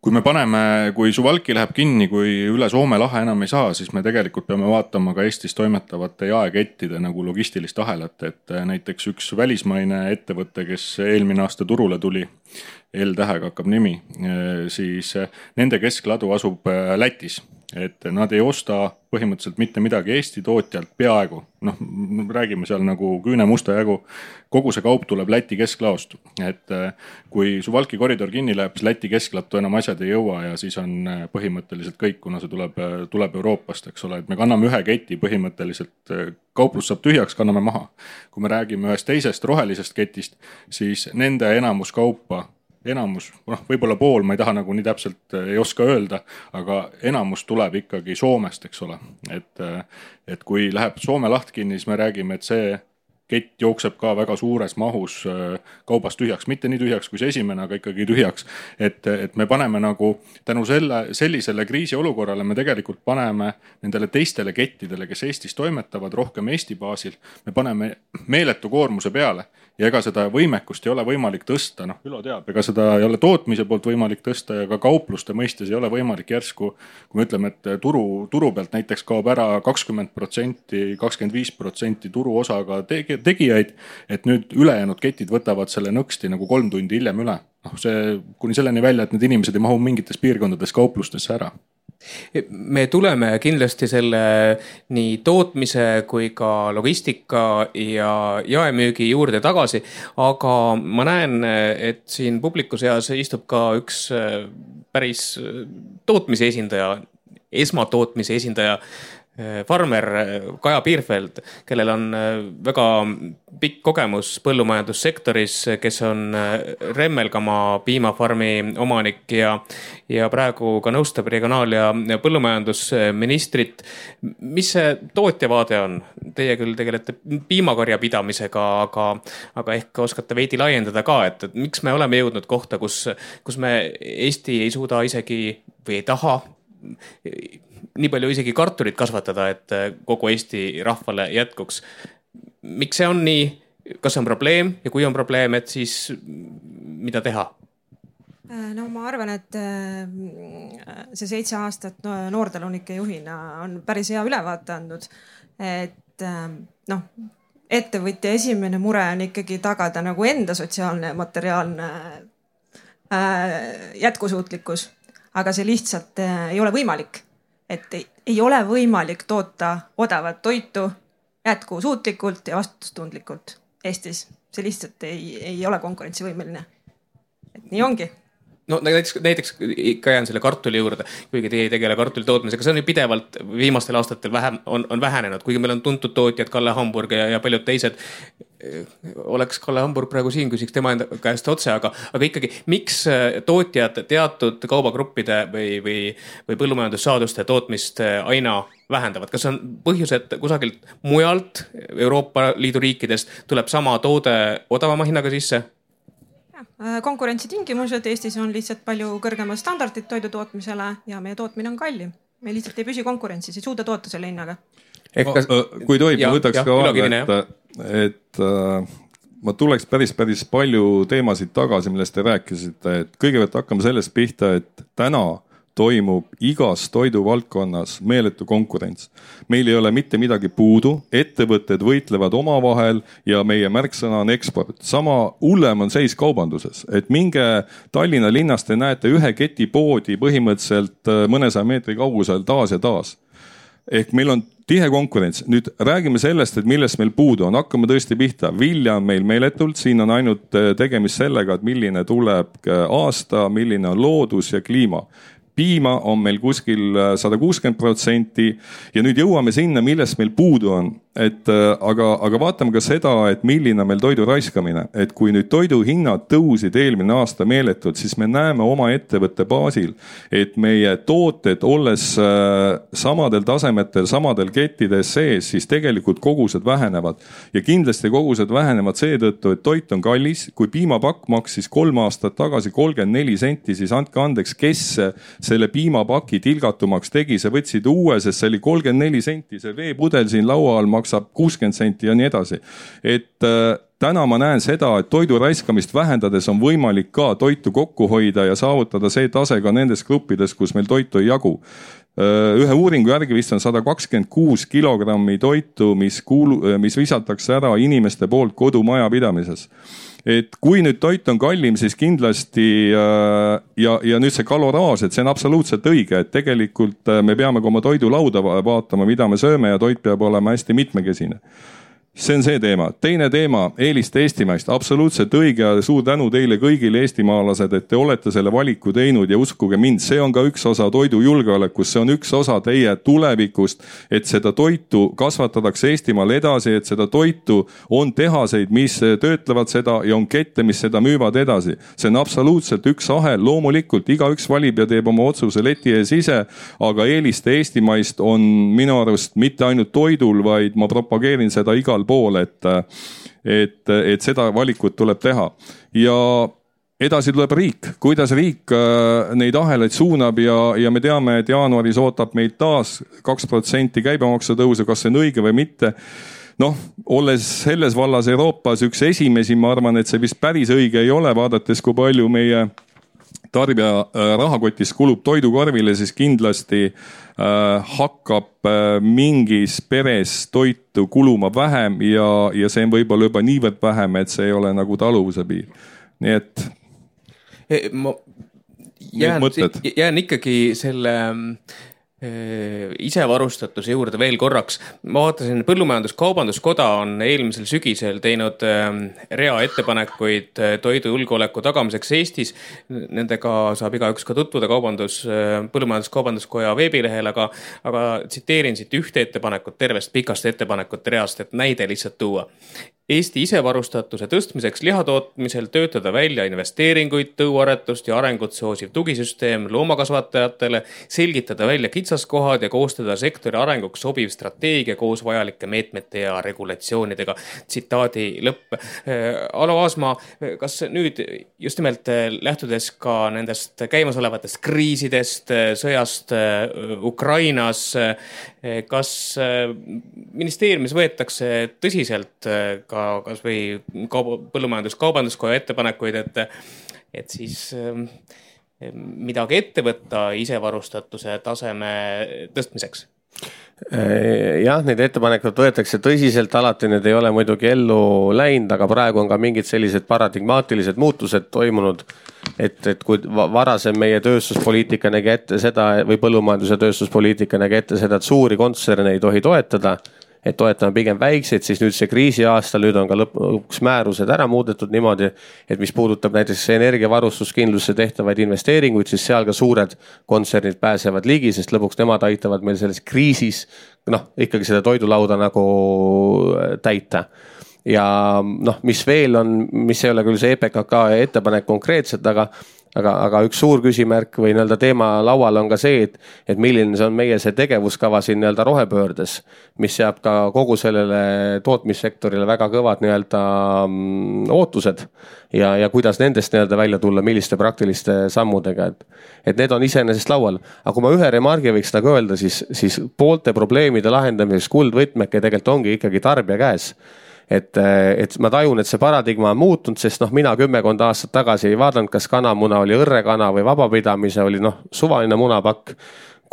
kui Suwałki läheb kinni, kui üle Soome lahe enam ei saa, siis me tegelikult peame vaatama ka Eestis toimetavate jaekettide nagu logistilist ahelat, et näiteks üks välismaine ettevõte, kes eelmine aasta turule tuli, L-tähega hakkab nimi, siis nende keskladu asub Lätis. et nad ei osta põhimõtteliselt mitte midagi Eesti tootjalt peaaegu. Noh, räägime seal nagu küünemusta jagu. Kogu see kaup tuleb Läti kesklaost. Et kui Suwałki koridor kinni läheb, siis Läti kesklattu enam asjad ei jõua ja siis on põhimõtteliselt kõik, kuna see tuleb Euroopast, eks ole. Et me kanname ühe keti põhimõtteliselt, kauplus saab tühjaks, kanname maha. Kui me räägime ühest teisest rohelisest ketist, siis nende enamus kaupa, võib-olla pool, ma ei taha nagu nii täpselt ei oska öelda, aga enamus tuleb ikkagi Soomest, eks ole. Et kui läheb Soome laht kinni, siis me räägime, et see kett jookseb ka väga suures mahus kaubast tühjaks, mitte nii tühjaks kui see esimene, aga ikkagi tühjaks. Et me paneme nagu tänu sellisele kriisiolukorrale me tegelikult paneme nendele teistele kettidele, kes Eestis toimetavad rohkem Eesti baasil, me paneme meeletu koormuse peale ja ega seda võimekust ei ole võimalik tõsta. Noh, Ülo teab, ega seda ei ole tootmise poolt võimalik tõsta ja ka kaupluste mõistes ei ole võimalik järsku, kui me ütleme, et turu pealt näiteks kaob ära 20%, 25% turu osaga tegijaid, et nüüd ülejäänud ketid võtavad selle nõksti nagu 3 tundi hiljem üle. Noh, see kuni selleni välja, et need inimesed ei mahu mingites piirkondades kauplustesse ära. Me tuleme kindlasti selle nii tootmise kui ka logistika ja jaemüügi juurde tagasi, aga ma näen, et siin publiku seas istub ka üks päris tootmise esindaja, esmatootmise esindaja, farmer Kaja Piirfeld, kellel on väga pikk kogemus põllumajandussektoris, kes on Remmelgamaa piimafarmi omanik ja praegu ka nõustab regionaal- ja põllumajandusministrit. Mis see tootjavaade on? Teie küll tegelete piimakarja pidamisega, aga ehk oskate veidi laiendada ka, et miks me oleme jõudnud kohta, kus me Eesti ei suuda isegi või ei taha nii palju isegi kartulit kasvatada, et kogu Eesti rahvale jätkuks. Miks see on nii? Kas see on probleem ja kui on probleem, et siis mida teha? No ma arvan, et see 7 aastat noortalunike juhina on päris hea ülevaate andnud, et ettevõtja esimene mure on ikkagi tagada nagu enda sotsiaalne ja materiaalne jätkusuutlikkus, aga see lihtsalt ei ole võimalik. Et ei ole võimalik toota odavat toitu jätkusuutlikult ja vastutustundlikult Eestis. See lihtsalt ei ole konkurentsivõimeline. Et nii ongi. No näiteks ikka jään selle kartuli juurde, kuigi teie ei tegele kartuli tootmisega, see on ju pidevalt viimastel aastatel on vähenenud, kuigi meil on tuntud tootjad Kalle Hamburg ja paljud teised. Oleks Kalle Hamburg praegu siin, küsiks tema enda käest otse, aga ikkagi miks tootjad teatud kaubagruppide või põllumajandussaaduste tootmist aina vähendavad? Kas on põhjus, et kusagilt mujalt Euroopa Liidu riikidest tuleb sama toode odavama hinnaga sisse? Konkurentsitingimused Eestis on lihtsalt palju kõrgemad standardid toidu tootmisele ja meie tootmine on kallim. Me lihtsalt ei püsi konkurentsis, ei suuda toota selle hinnaga. Kui tohib, ma võtaks ka vaadata, et ma tuleks päris palju teemasid tagasi, millest te rääkisite. Et kõigepealt hakkame sellest pihta, et täna toimub igas toiduvaldkonnas meeletu konkurents. Meil ei ole mitte midagi puudu, ettevõtted võitlevad omavahel ja meie märksõna on eksport. Sama hullem on seis kaubanduses, et minge Tallinna linnast te näete ühe keti poodi põhimõtteliselt mõnesaja meetri kaugusel taas ja taas. Ehk meil on tihe konkurents. Nüüd räägime sellest, et millest meil puudu on. Hakkame tõesti pihta. Vilja on meil meeletult. Siin on ainult tegemist sellega, et milline tuleb aasta, milline on loodus ja kliima. Piima on meil kuskil 160% ja nüüd jõuame sinna, millest meil puudu on. Aga vaatame ka seda, et milline meil toidu raiskamine. Et kui nüüd toidu hinnad tõusid eelmine aasta meeletult, siis me näeme oma ettevõtte baasil, et meie tooted olles samadel tasemetel, samadel kettides sees, siis tegelikult kogused vähenevad. Ja kindlasti kogused vähenevad seetõttu, et toit on kallis. Kui piimapakk maksis 3 aastat tagasi 34 senti, siis andke andeks, kes selle piimapaki tilgatumaks tegi, see võtsid uue, sest see oli 34 senti, see veepudel siin laua all maksab 60 senti ja nii edasi. Et täna ma näen seda, et toidu raiskamist vähendades on võimalik ka toitu kokku hoida ja saavutada see tase ka nendes gruppides, kus meil toitu ei jagu. ühe uuringu järgi vist on 126 kilogrammi toitu, mis visatakse ära inimeste poolt kodumajapidamises. Et kui nüüd toit on kallim, siis kindlasti ja nüüd see kaloraaž, et see on absoluutselt õige, et tegelikult me peame ka oma toidulauda vaatama, mida me sööme ja toit peab olema hästi mitmekesine. See on see teema. Teine teema, eeliste eestimaist. Absoluutselt õige ja suur tänu teile kõigile eestimaalased, et te olete selle valiku teinud ja uskuge mind, see on ka üks osa toidujulgeolekust, see on üks osa teie tulevikust, et seda toitu kasvatatakse Eestimaal edasi, et seda toitu on tehaseid, mis töötlevad seda ja on kette, mis seda müüvad edasi. See on absoluutselt üks ahel, loomulikult igaüks valib ja teeb oma otsuse leti ees ise, aga eeliste eestimaist on minu arust mitte ainult toidul, vaid ma propageerin seda igal pool, et seda valikut tuleb teha. Ja edasi tuleb riik, kuidas riik neid ahelaid suunab ja me teame, et jaanuaris ootab meid taas 2% käibemaksu tõusu, kas see on õige või mitte. Noh, olles selles vallas Euroopas üks esimesi, ma arvan, et see vist päris õige ei ole, vaadates kui palju meie tarbija rahakotis kulub toidukorvile, siis kindlasti hakkab mingis peres toitu kuluma vähem ja see on võib-olla juba niivõrd vähem, et see ei ole nagu taluvuse piir. Nii et ma jään ikkagi selle isevarustatuse juurde veel korraks. Ma vaatasin, Põllumajandus-Kaubanduskoda on eelmisel sügisel teinud rea ettepanekuid toidujulgeoleku tagamiseks Eestis. Nendega saab igaüks ka tutvuda Põllumajandus-Kaubanduskoja veebilehel, aga tsiteerin siit ühte ettepanekut tervest pikast ettepanekut reast, et näide lihtsalt tuua. Eesti isevarustatuse tõstmiseks lihatootmisel töötada välja investeeringuid, tõuaretust ja arengut soosiv tugisüsteem loomakasvatajatele, selgitada välja kitsaskohad ja koostada sektori arenguks sobiv strateegia koos vajalike meetmete ja regulatsioonidega. Tsitaadi lõpp. Alo Aasma, kas nüüd just nimelt lähtudes ka nendest käimasolevatest kriisidest, sõjast Ukrainas, kas ministeeriumis võetakse tõsiselt ka kas või Põllumajandus-Kaubanduskoja ettepanekuid, et siis midagi ette võtta isevarustatuse taseme tõstmiseks? Jah, neid ettepanekud võetakse tõsiselt, alati need ei ole muidugi ellu läinud, aga praegu on ka mingid sellised paradigmaatilised muutused toimunud, et kui varasem meie tööstuspoliitika nägi ette seda või põllumajanduse tööstuspoliitika nägi ette seda, et suuri kontserne ei tohi toetada, et toetame pigem väikseid, siis nüüd see kriisi aastal, nüüd on ka lõpuks määrused ära muudetud niimoodi, et mis puudutab näiteks energiavarustuskindlusse tehtavaid investeeringuid, siis seal ka suured kontsernid pääsevad ligi, sest lõpuks nemad aitavad meil selles kriisis ikkagi seda toidulauda nagu täita. Ja mis veel on, mis ei ole küll see EPKK ettepanek konkreetselt, aga üks suur küsimärk või teema laual on ka see, et milline see on meie see tegevuskava siin rohepöördes, mis seab ka kogu sellele tootmissektorile väga kõvad ootused ja kuidas nendest välja tulla, milliste praktiliste sammudega, et need on iseenesest laual. Aga kui ma ühe remargi võiks nagu öelda, siis poolte probleemide lahendamiseks kuldvõtmeke tegelikult ongi ikkagi tarbija käes. Et ma tajun, et see paradigma on muutunud, sest mina 10 aastat tagasi ei vaadanud, kas kanamuna oli õrrekana või vabapidamise oli suvaline munapakk.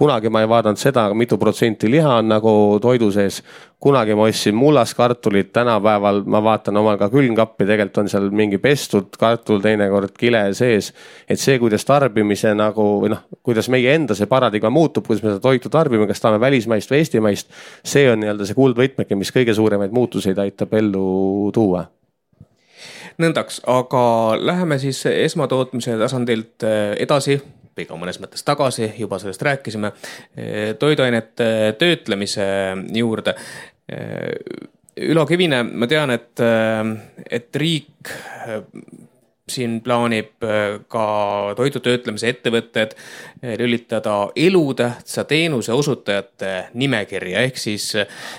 Kunagi ma ei vaadanud seda, mitu protsenti liha on nagu toidu sees. Kunagi ma ostsin mullas kartulit, tänapäeval ma vaatan omal ka külmkappi, tegelikult on seal mingi pestud kartul, teinekord kile sees. Et see, kuidas tarbimise kuidas meie enda see paradigma muutub, kuidas me seda toitu tarbime, kas tahame välismaist või eestimaist, see on see kuldvõtmeke, mis kõige suuremaid muutuseid aitab ellu tuua. Nõndaks, aga läheme siis esmatootmise tasandilt edasi, ka mõnes mõttes tagasi, juba sellest rääkisime, toiduainete töötlemise juurde. Ülo Kivine, ma tean, et riik siin plaanib ka toidutöötlemise ettevõtted lülitada elutähtsa teenuse osutajate nimekirja, ehk siis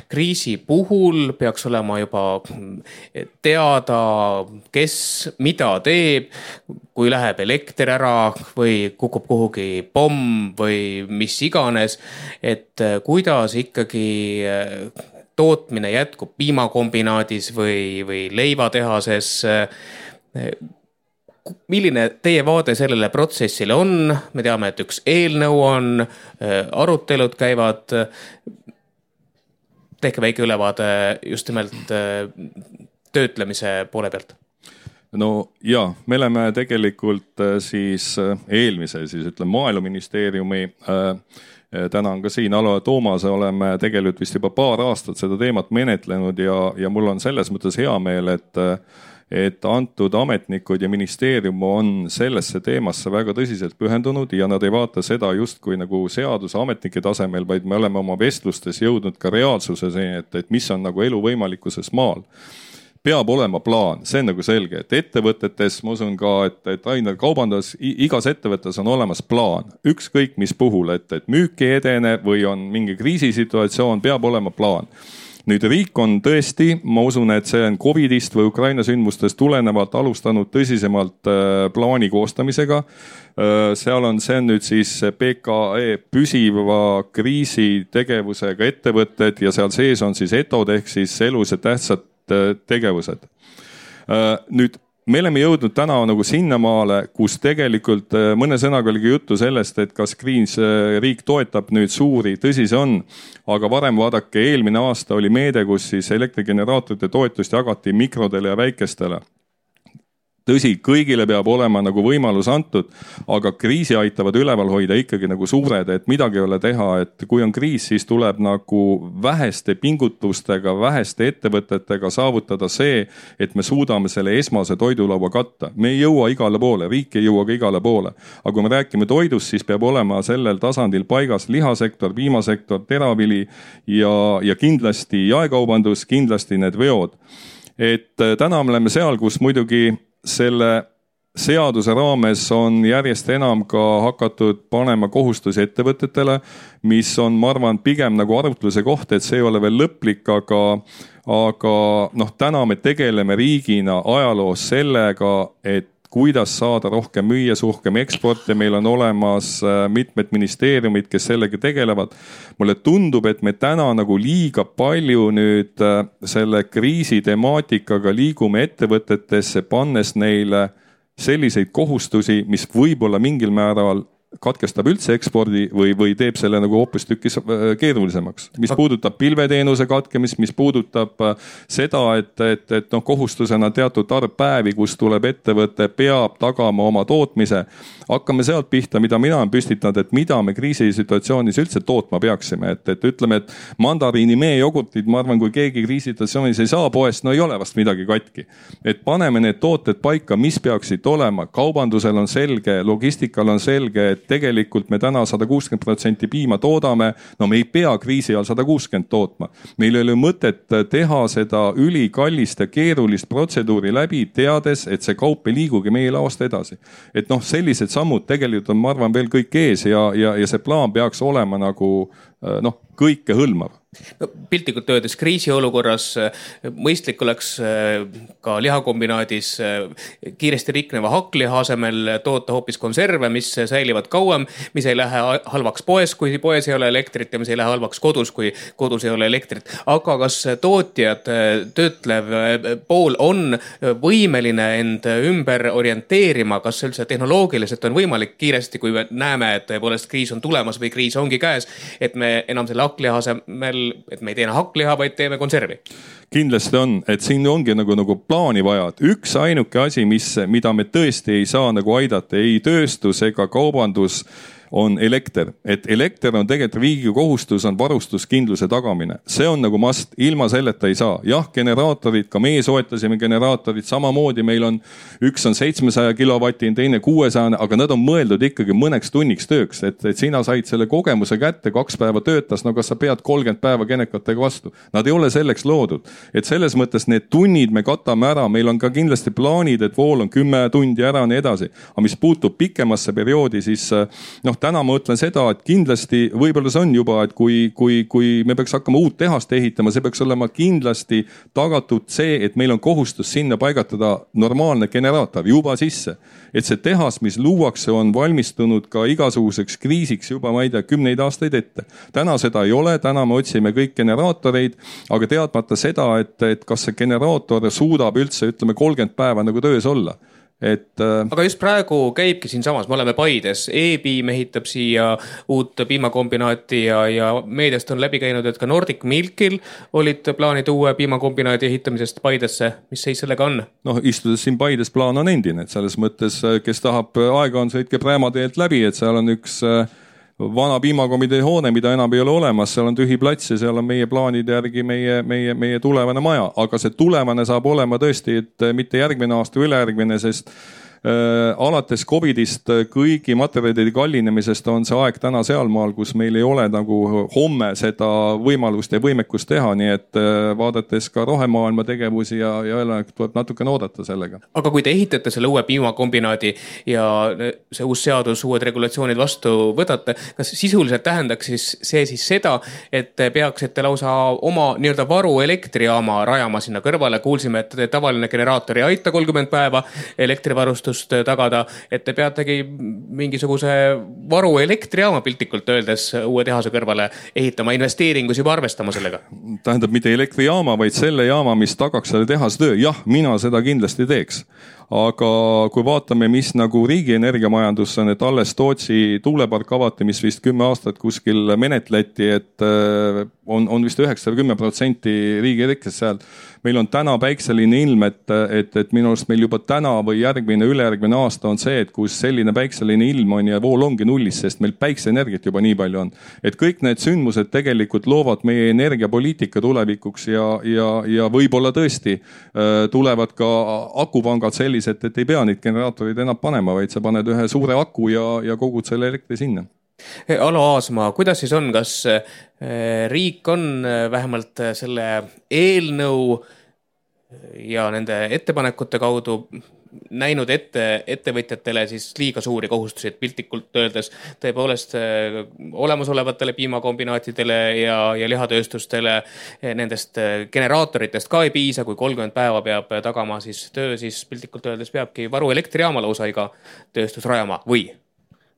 kriisi puhul peaks olema juba teada, kes mida teeb, kui läheb elekter ära või kukub kuhugi pomm või mis iganes, et kuidas ikkagi tootmine jätkub piimakombinaadis või leivatehases. milline teie vaade sellele protsessile on? Me teame, et üks eelnõu on, arutelud käivad. Tehke väike ülevaade just nimelt töötlemise poole pealt. No ja, me oleme tegelikult siis eelmise, Maaeluministeeriumi, täna on ka siin Alo ja Toomas, oleme tegelikult vist juba paar aastat seda teemat menetlenud ja mul on selles mõttes hea meel, et antud ametnikud ja ministeerium on sellesse teemasse väga tõsiselt pühendunud ja nad ei vaata seda justkui nagu seaduse ametnike tasemel, vaid me oleme oma vestlustes jõudnud ka reaalsuses, et mis on nagu elu võimalikkuses maal. Peab olema plaan, see on nagu selge, et ettevõtetes, ma usun ka, et aina kaubandus, igas ettevõttes on olemas plaan, ükskõik mis puhul, et müük ei edene või on mingi kriisisituatsioon, peab olema plaan. Nüüd riik on tõesti, ma usun, et see on Covidist või Ukraina sündmustest tulenevalt alustanud tõsisemalt plaani koostamisega. See on nüüd siis PKE püsiva kriisitegevusega ettevõtted ja seal sees on siis ETOD ehk siis elus ja tähtsad tegevused. Nüüd me oleme jõudnud täna nagu sinnamaale, kus tegelikult mõne sõnaga oligi juttu sellest, et kas riik toetab nüüd suuri, tõsi see on, aga varem vaadake, eelmine aasta oli meede, kus siis elektrigeneraatorite toetust jagati mikrodele ja väikestele. Tõsi, kõigile peab olema nagu võimalus antud, aga kriisi aitavad üleval hoida ikkagi nagu suured, et midagi ei ole teha, et kui on kriis, siis tuleb nagu väheste pingutustega, väheste ettevõtetega saavutada see, et me suudame selle esmase toidulaua katta. Me ei jõua igale poole, riik ei jõua ka igale poole. Aga kui me räägime toidust, siis peab olema sellel tasandil paigas lihasektor, piimasektor, teravili ja kindlasti jaekaubandus, kindlasti need veod. Et täna me oleme seal, kus muidugi selle seaduse raames on järjest enam ka hakatud panema kohustusi ettevõtetele, mis on, ma arvan, pigem nagu arutluse koht, et see ei ole veel lõplik, aga täna me tegeleme riigina ajaloos sellega, et kuidas saada rohkem müüa, rohkem eksporti. Meil on olemas mitmed ministeeriumid, kes sellega tegelevad. Mulle tundub, et me täna nagu liiga palju nüüd selle kriisi temaatikaga liigume ettevõtetesse, pannes neile selliseid kohustusi, mis võib-olla mingil määral katkestab üldse ekspordi või teeb selle nagu hoopis tükis keerulisemaks. Mis puudutab pilveteenuse katkemist, mis puudutab seda, et kohustusena teatud arv päevi, kus tuleb ettevõte, peab tagama oma tootmise. Hakkame sealt pihta, mida mina olen püstitanud, et mida me kriisisituatsioonis üldse tootma peaksime. Et ütleme, et mandariini meejogurtid, ma arvan, kui keegi kriisisituatsioonis ei saa poest, no ei ole vast midagi katki. Et paneme need tooted paika, mis peaksid olema. Kaubandusel on selge, logistikal on selge, et tegelikult me täna 160% piima toodame, no me ei pea kriisi all 160 tootma. Meil ei ole mõtet teha seda ülikallist ja keerulist protseduuri läbi, teades, et see kaup ei liigugi meie laost edasi. Et sellised sammud tegelikult on, ma arvan, veel kõik ees ja see plaan peaks olema nagu kõike hõlmav. Piltlikult öeldes kriisiolukorras mõistlik oleks ka lihakombinaadis kiiresti rikneva hakkliha asemel toota hoopis konserve, mis säilivad kauem, mis ei lähe halvaks poes, kui poes ei ole elektrit ja mis ei lähe halvaks kodus, kui kodus ei ole elektrit. Aga kas tootjad, töötlev pool on võimeline end ümber orienteerima, kas üldse tehnoloogiliselt on võimalik kiiresti, kui me näeme, et tõepoolest kriis on tulemas või kriis ongi käes, et me enam selle hakkliha asemel, et me ei teena hakkliha, vaid teeme konservi. Kindlasti on, et siin ongi nagu plaani vaja. Üks ainuke asi, mida me tõesti ei saa nagu aidata, ei tööstus ega kaubandus, on elekter. Et elekter on tegelikult riigi kohustus, on varustuskindluse tagamine. See on nagu must, ilma selleta ei saa. Jah, generaatorid, ka meie soetasime generaatorid, samamoodi meil on üks on 700 kilovatine, teine 600, aga nad on mõeldud ikkagi mõneks tunniks tööks. Et sina said selle kogemuse kätte, 2 päeva töötas, no kas sa pead 30 päeva genekatega vastu. Nad ei ole selleks loodud. Et selles mõttes need tunnid me katame ära, meil on ka kindlasti plaanid, et vool on 10 tundi ära ja nii edasi. Aga mis puutub pikemasse perioodi, siis täna ma ütlen seda, et kindlasti võib-olla see on juba, et kui me peaks hakkama uut tehast ehitama, see peaks olema kindlasti tagatud see, et meil on kohustus sinna paigatada normaalne generaator juba sisse. Et see tehas, mis luuakse, on valmistunud ka igasuguseks kriisiks juba, ma ei tea, 10 aastaid ette. Täna seda ei ole, täna me otsime kõik generaatoreid, aga teadmata seda, et kas see generaator suudab üldse, ütleme, 30 päeva nagu töös olla. Aga just praegu käibki siin samas, me oleme Paides, E-piim ehitab siia uut piimakombinaati ja meediast on läbi käinud, et ka Nordic Milkil olid plaanid uue piimakombinaati ehitamisest Paidesse. Mis seis sellega on? Istudes siin Paides plaan on endine, et selles mõttes, kes tahab aega on, sõitke Präämateelt läbi, et seal on üks vana piimakomitee hoone, mida enam ei ole olemas, seal on tühi plats ja seal on meie plaanide järgi meie tulevane maja, aga see tulevane saab olema tõesti, et mitte järgmine aasta ülejärgmine, sest alates COVIDist kõigi materjalide kallinemisest on see aeg täna sealmaal, kus meil ei ole nagu homme seda võimalust ja võimekust teha, nii et vaadates ka rohemaailma tegevusi ja tuleb natukene oodata sellega. Aga kui te ehitate selle uue piimakombinaadi ja see uus seadus, uued regulatsioonid vastu võtate, kas sisuliselt tähendaks see seda, et peaksite lausa oma nii-öelda varu elektrijaama rajama sinna kõrvale? Kuulsime, et tavaline generaator ei aita 30 päeva elektrivarustust tagada, et te peategi mingisuguse varu elektrijaama piltlikult öeldes uue tehase kõrvale ehitama, investeeringus juba arvestama sellega? Tähendab mitte elektrijaama, vaid selle jaama, mis tagaks selle tehase töö. Jah, mina seda kindlasti teeks. Aga kui vaatame, mis nagu riigi energiamajandus on, et alles Tootsi tuulepark avati, mis vist 10 aastat kuskil menetleti, et on vist 9-10% riigi elektrist seal. Meil on täna päikseline ilm, et minu arust meil juba täna või järgmine ülejärgmine aasta on see, et kus selline päikseline ilm on ja vool ongi nullis, sest meil päikseenergiat juba nii palju on. Et kõik need sündmused tegelikult loovad meie energiapoliitika tulevikuks ja võib-olla tõesti tulevad ka akupangad sellised, et ei pea neid generaatorid enam panema, vaid sa paned ühe suure aku ja kogud selle elektri sinna. Alo Aasmaa, kuidas siis on, kas riik on vähemalt selle eelnõu ja nende ettepanekute kaudu näinud ettevõtjatele siis liiga suuri kohustusi, et piltlikult öeldes tõepoolest olemasolevatele piimakombinaatidele ja lihatööstustele nendest generaatoritest ka ei piisa, kui 30 päeva peab tagama siis töö, siis piltlikult öeldes peabki varu elektrijaama lausa iga tööstus rajama või?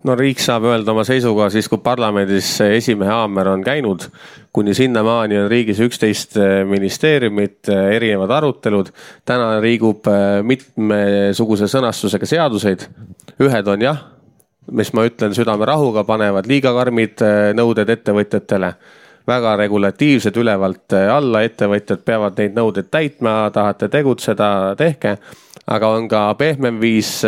No riik saab öelda oma seisuga siis, kui parlamendis esimehe haamer on käinud, kuni sinnamaani on riigis 11 ministeeriumit, erinevad arutelud. Täna liigub mitmesuguse sõnastusega seaduseid. Ühed on jah, mis ma ütlen südame rahuga, panevad liiga karmid nõuded ettevõtjatele. Väga regulatiivsed ülevalt alla, ettevõtjad peavad neid nõudeid täitma, tahate tegutseda, tehke. Aga on ka pehmem viis,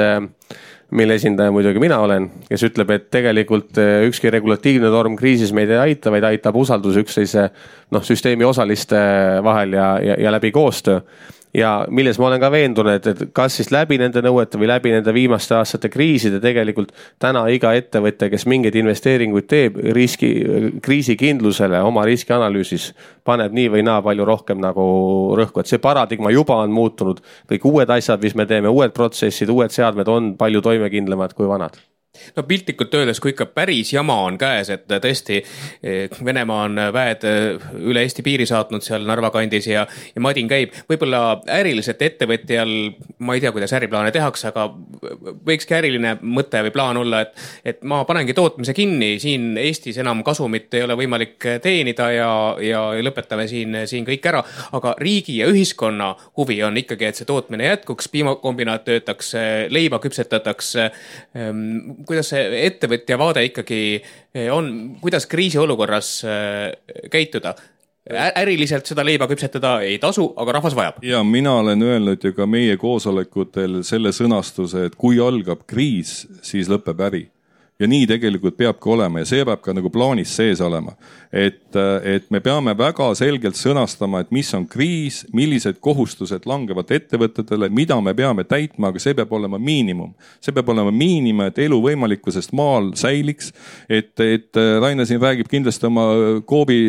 mille esindaja muidugi mina olen, kes ütleb, et tegelikult ükski regulatiivne norm kriisis meid ei aita, vaid aitab usaldus üksteise süsteemi osaliste vahel ja läbi koostöö. Ja milles ma olen ka veendunud, et kas siis läbi nende nõuete või läbi nende viimaste aastate kriiside tegelikult täna iga ettevõte, kes mingeid investeeringuid teeb kriisikindlusele oma riskianalüüsis, paneb nii või naa palju rohkem nagu rõhku, et see paradigma juba on muutunud. Kõik uued asjad, mis me teeme, uued protsessid, uued seadmed on palju toimekindlamad kui vanad. No piltlikult öeldes, kui ikka päris jama on käes, et tõesti Venemaa on väed üle Eesti piiri saatnud seal Narva kandis ja madin käib. Võib-olla äriliselt ettevõtjal, ma ei tea, kuidas äriplaane tehakse, aga võikski äriline mõte või plaan olla, et ma panengi tootmise kinni, siin Eestis enam kasumit ei ole võimalik teenida ja lõpetame siin kõik ära. Aga riigi ja ühiskonna huvi on ikkagi, et see tootmine jätkuks, piimakombinaat töötaks, leiba küpsetatakse. Kuidas see ettevõtja vaade ikkagi on, kuidas kriisiolukorras käituda? Äriliselt seda leiba küpsetada ei tasu, aga rahvas vajab. Ja mina olen öelnud ju ka meie koosolekutel selle sõnastuse, et kui algab kriis, siis lõpeb äri. Ja nii tegelikult peabki olema ja see peab ka nagu plaanis sees olema. Et me peame väga selgelt sõnastama, et mis on kriis, millised kohustused langevad ettevõtetele, mida me peame täitma, aga see peab olema miinimum. See peab olema miinimum, et elu võimalikkusest maal säiliks. Et Raine siin räägib kindlasti oma Coopi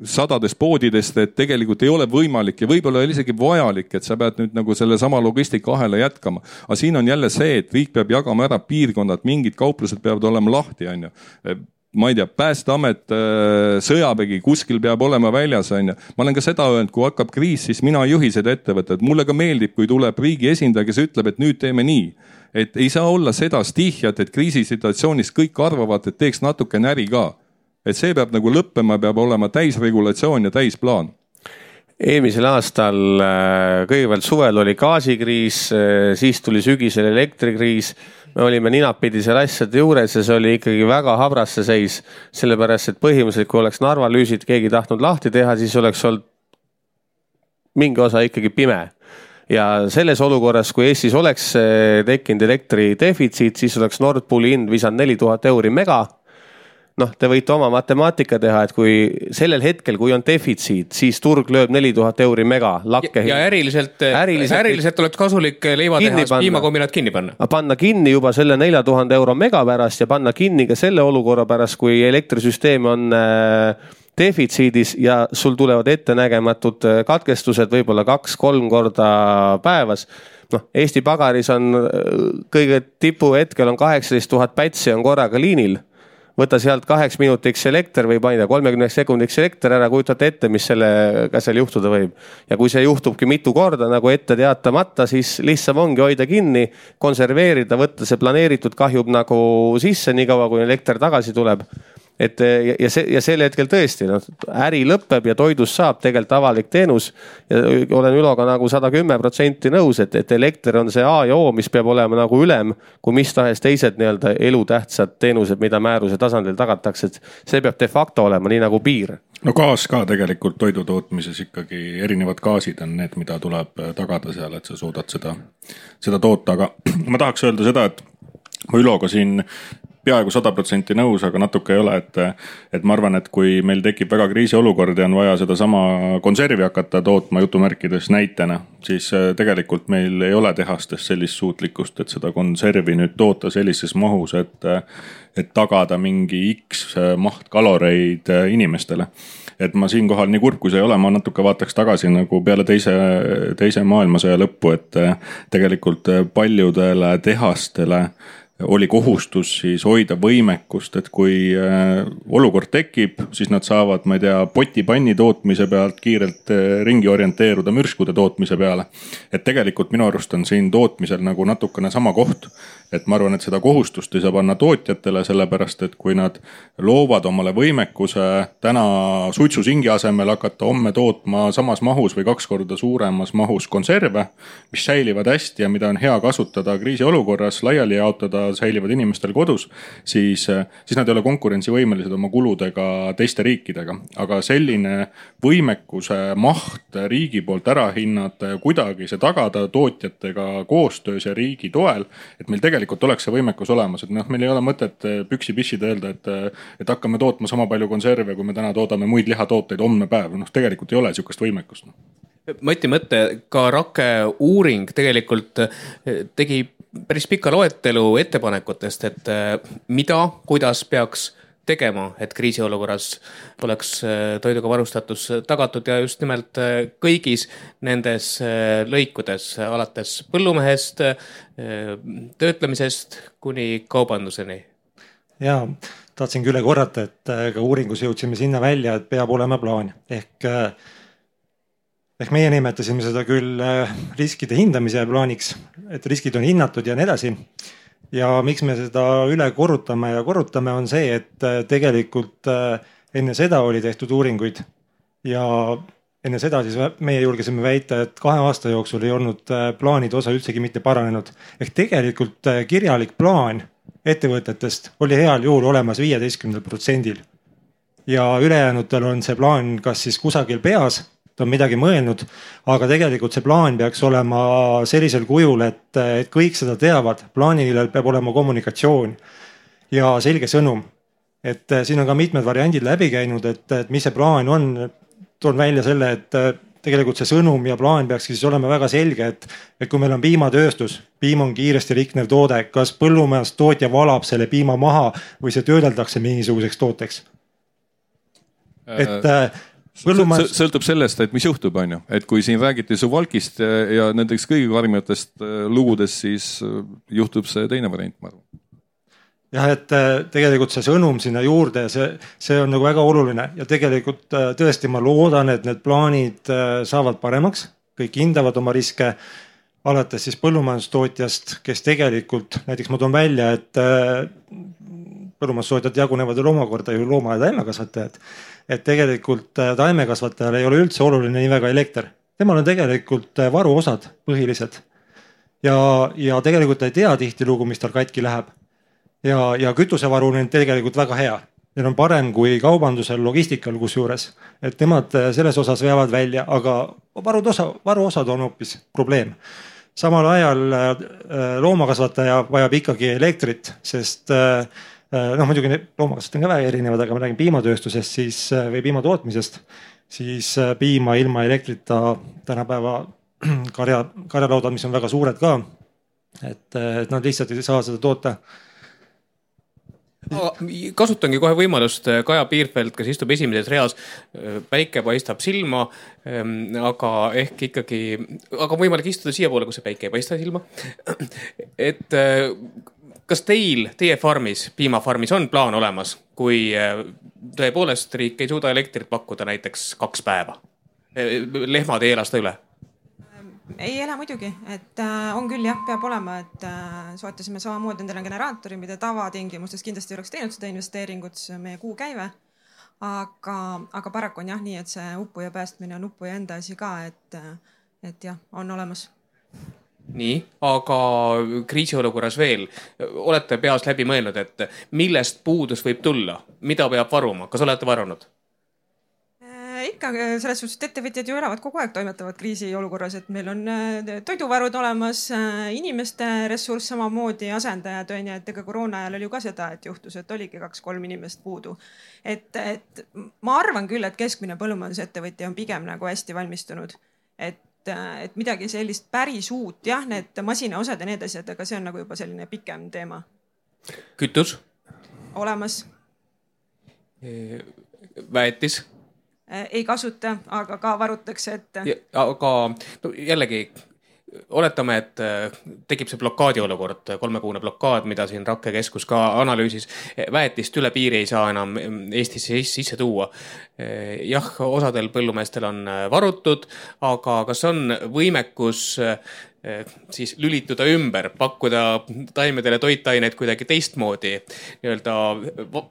sadades poodidest, et tegelikult ei ole võimalik ja võib-olla isegi vajalik, et sa pead nüüd nagu selle sama logistikahela jätkama. Aga siin on jälle see, et riik peab jagama ära piirkonnad, mingid kauplused peavad olema lahti, on ju. Ma ei tea, Päästeamet, sõjavägi, kuskil peab olema väljas, on ju. Ma olen ka seda öelnud, kui hakkab kriis, siis mina ei juhi seda ettevõtet. Mulle ka meeldib, kui tuleb riigi esindaja, kes ütleb, et nüüd teeme nii. Et ei saa olla seda stihjat, et kriisisituatsioonis kõik arvavad, et teeks natuke näri ka. Et see peab nagu lõppema, peab olema täisregulatsioon ja täisplaan. eelmisel aastal kõigepealt suvel oli gaasikriis, siis tuli sügisel elektrikriis. Me olime ninapidi seal asjade juures ja see oli ikkagi väga habras see seis. Sellepärast, et põhimõtteliselt, kui oleks Narva lüüsid keegi tahtnud lahti teha, siis oleks olnud mingi osa ikkagi pime. Ja selles olukorras, kui Eestis oleks tekkinud elektri defitsiit, siis oleks Nord Pooli hind visanud 4000 € mega. Noh, te võite oma matemaatika teha, et kui sellel hetkel, kui on defitsiit, siis turg lööb 4000 € mega lakke. Ja äriliselt oleks kasulik leiva teha, piimakombinaat kinni panna. Panna kinni juba selle 4000 € mega pärast ja panna kinni ka selle olukorra pärast, kui elektrisüsteem on defitsiidis ja sul tulevad ettenägematud katkestused võib-olla 2-3 korda päevas. No, Eesti pagaris on kõige tipu hetkel on 18 000 pätsi on korraga liinil. Võta sealt 8 minutiks elekter või 30 sekundiks elekter ära, kujutate ette, mis sellega seal juhtuda võib. Ja kui see juhtubki mitu korda nagu ette teatamata, siis lihtsam ongi hoida kinni, konserveerida, võtta see planeeritud kahjub nagu sisse, nii kaua kui elekter tagasi tuleb. Ja sel hetkel tõesti, äri lõpeb ja toidus saab tegelikult avalik teenus ja olen Üloga nagu 110% nõus, et elekter on see A ja O, mis peab olema nagu ülem, kui mis tahes teised nii-öelda elutähtsad teenused, mida määruse tasandil tagatakse, et see peab de facto olema nii nagu piir. No gaas ka tegelikult toidu tootmises ikkagi erinevad gaasid on need, mida tuleb tagada seal, et sa suudad seda toota, aga ma tahaks öelda seda, et ma Üloga siin peaaegu 100% nõus, aga natuke ei ole, et ma arvan, et kui meil tekib väga kriisiolukord ja on vaja seda sama konservi hakata tootma jutumärkides näitena, siis tegelikult meil ei ole tehastes sellist suutlikkust, et seda konservi nüüd toota sellises mahus, et tagada mingi X maht kaloreid inimestele. Et ma siinkohal nii kurb kui see ei ole, ma natuke vaataks tagasi nagu peale teise maailmasõja lõppu, et tegelikult paljudele tehastele oli kohustus siis hoida võimekust, et kui olukord tekib, siis nad saavad, ma ei tea, potipanni tootmise pealt kiirelt ringi orienteeruda mürskude tootmise peale. Et tegelikult minu arust on siin tootmisel nagu natukene sama koht, et ma arvan, et seda kohustust ei saa panna tootjatele, sellepärast, et kui nad loovad omale võimekuse täna suitsusingi asemel hakata homme tootma samas mahus või 2 korda suuremas mahus konserve, mis säilivad hästi ja mida on hea kasutada kriisiolukorras, laiali jaotada, säilivad inimestel kodus, siis nad ei ole konkurentsivõimelised oma kuludega teiste riikidega. Aga selline võimekuse maht riigi poolt ära hinnata ja kuidagi see tagada tootjatega koostöös ja riigi toel, et meil tegelikult oleks see võimekus olemas. Et meil ei ole mõtet püksi pissida öelda, et hakkame tootma sama palju konserve, kui me täna toodame muid lihatooteid homne päev. Tegelikult ei ole sihukest võimekust. Mati mõte, ka Rakke uuring tegelikult tegi päris pika loetelu ettepanekutest, et mida, kuidas peaks tegema, et kriisiolukorras oleks toiduga varustatus tagatud ja just nimelt kõigis nendes lõikudes, alates põllumehest, töötlemisest kuni kaubanduseni. Ja tahtsin küll korrata, et ka uuringus jõudsime sinna välja, et peab olema plaan. Ehk meie nimetasime seda küll riskide hindamise plaaniks, et riskid on hinnatud ja nii edasi. Ja miks me seda üle korrutame on see, et tegelikult enne seda oli tehtud uuringuid ja enne seda siis meie julgesime väita, et 2 aasta jooksul ei olnud plaanide osa üldsegi mitte paranenud. Ehk tegelikult kirjalik plaan ettevõtetest oli heal juhul olemas 15%. Ja ülejäänutel on see plaan kas siis kusagil peas, on midagi mõelnud, aga tegelikult see plaan peaks olema sellisel kujul, et kõik seda teavad. Plaanil peab olema kommunikatsioon ja selge sõnum. Et siin on ka mitmed variandid läbi käinud, et mis see plaan on. Toon välja selle, et tegelikult see sõnum ja plaan peaks siis olema väga selge, et kui meil on piimatööstus, piim on kiiresti riknev toode, kas põllumajandustootja valab selle piima maha või see töödeldakse mingisuguseks tooteks. Sõltub sellest, et mis juhtub, on ju. Et kui siin räägiti Suwalkist ja nendeks kõige karmimatest lugudest, siis juhtub see teine variant, ma arvan. Jah, et tegelikult see sõnum sinna juurde, see on nagu väga oluline ja tegelikult tõesti ma loodan, et need plaanid saavad paremaks, kõik hindavad oma riske, alates siis põllumajandustootjast, kes tegelikult, näiteks ma toon välja, et põllumajandustootjad jagunevad veel omakorda ju looma- ja taimekasvatajad. Et tegelikult taimekasvatajal ei ole üldse oluline nii väga elekter. Temal on tegelikult varuosad põhilised. Ja tegelikult ei tea tihtilugu, mis tal katki läheb. Ja kütusevaru on tegelikult väga hea. Neil on parem kui kaubandusel, logistikal kusjuures. Et nemad selles osas veavad välja, aga varuosad on hoopis probleem. Samal ajal loomakasvataja vajab ikkagi elektrit, sest muidugi loomakasvatajad on ka väga erinevad, aga ma räägin piimatööstusest või piimatootmisest, siis piima ilma elektrita tänapäeva karjalaudad, mis on väga suured ka, et nad lihtsalt ei saa seda toota. Kasutangi kohe võimalust, Kaja Piirfeld, kes istub esimeses reas, päike paistab silma, aga ehk ikkagi, aga võimalik istuda siia poole, kus see päike ei paista silma. Et kas teie farmis, piimafarmis on plaan olemas, kui tõepoolest riik ei suuda elektrit pakkuda näiteks 2 päeva? Lehmad ei ela seda üle? Ei ela muidugi, et on küll jah, peab olema, et soetasime samamoodi endale generaatori, mida tavatingimustes kindlasti oleks teinud seda investeeringut, see on meie kuukäive. Aga paraku on jah nii, et see uppuja päästmine on uppuja enda asi ka, et jah, on olemas. Nii, aga kriisiolukorras veel, olete peas läbi mõelnud, et millest puudus võib tulla, mida peab varuma, kas olete varunud? Ikka selles suhtes, et ettevõtjad ju elavad kogu aeg, toimetavad kriisiolukorras, et meil on toiduvarud olemas, inimeste ressurss samamoodi, asendajad on ja et ega koroona ajal oli ju ka seda, et juhtus, et oligi 2-3 inimest puudu. Et ma arvan küll, et keskmine põllumajandusettevõtja on pigem nagu hästi valmistunud, et midagi sellist päris uut, jah, need masinaosad ja need asjad, aga see on nagu juba selline pikem teema. Kütus? Olemas. Väetis? Ei kasuta, aga ka varutakse ette. Aga jällegi, oletame, et tekib see blokaadi olukord, 3-kuune blokaad, mida siin Rakke keskus ka analüüsis. Väetist üle piiri ei saa enam Eestisse sisse tuua. Jah, osadel põllumeestel on varutud, aga kas on võimekus siis lülituda ümber, pakkuda taimedele toitaineid kuidagi teistmoodi, nii-öelda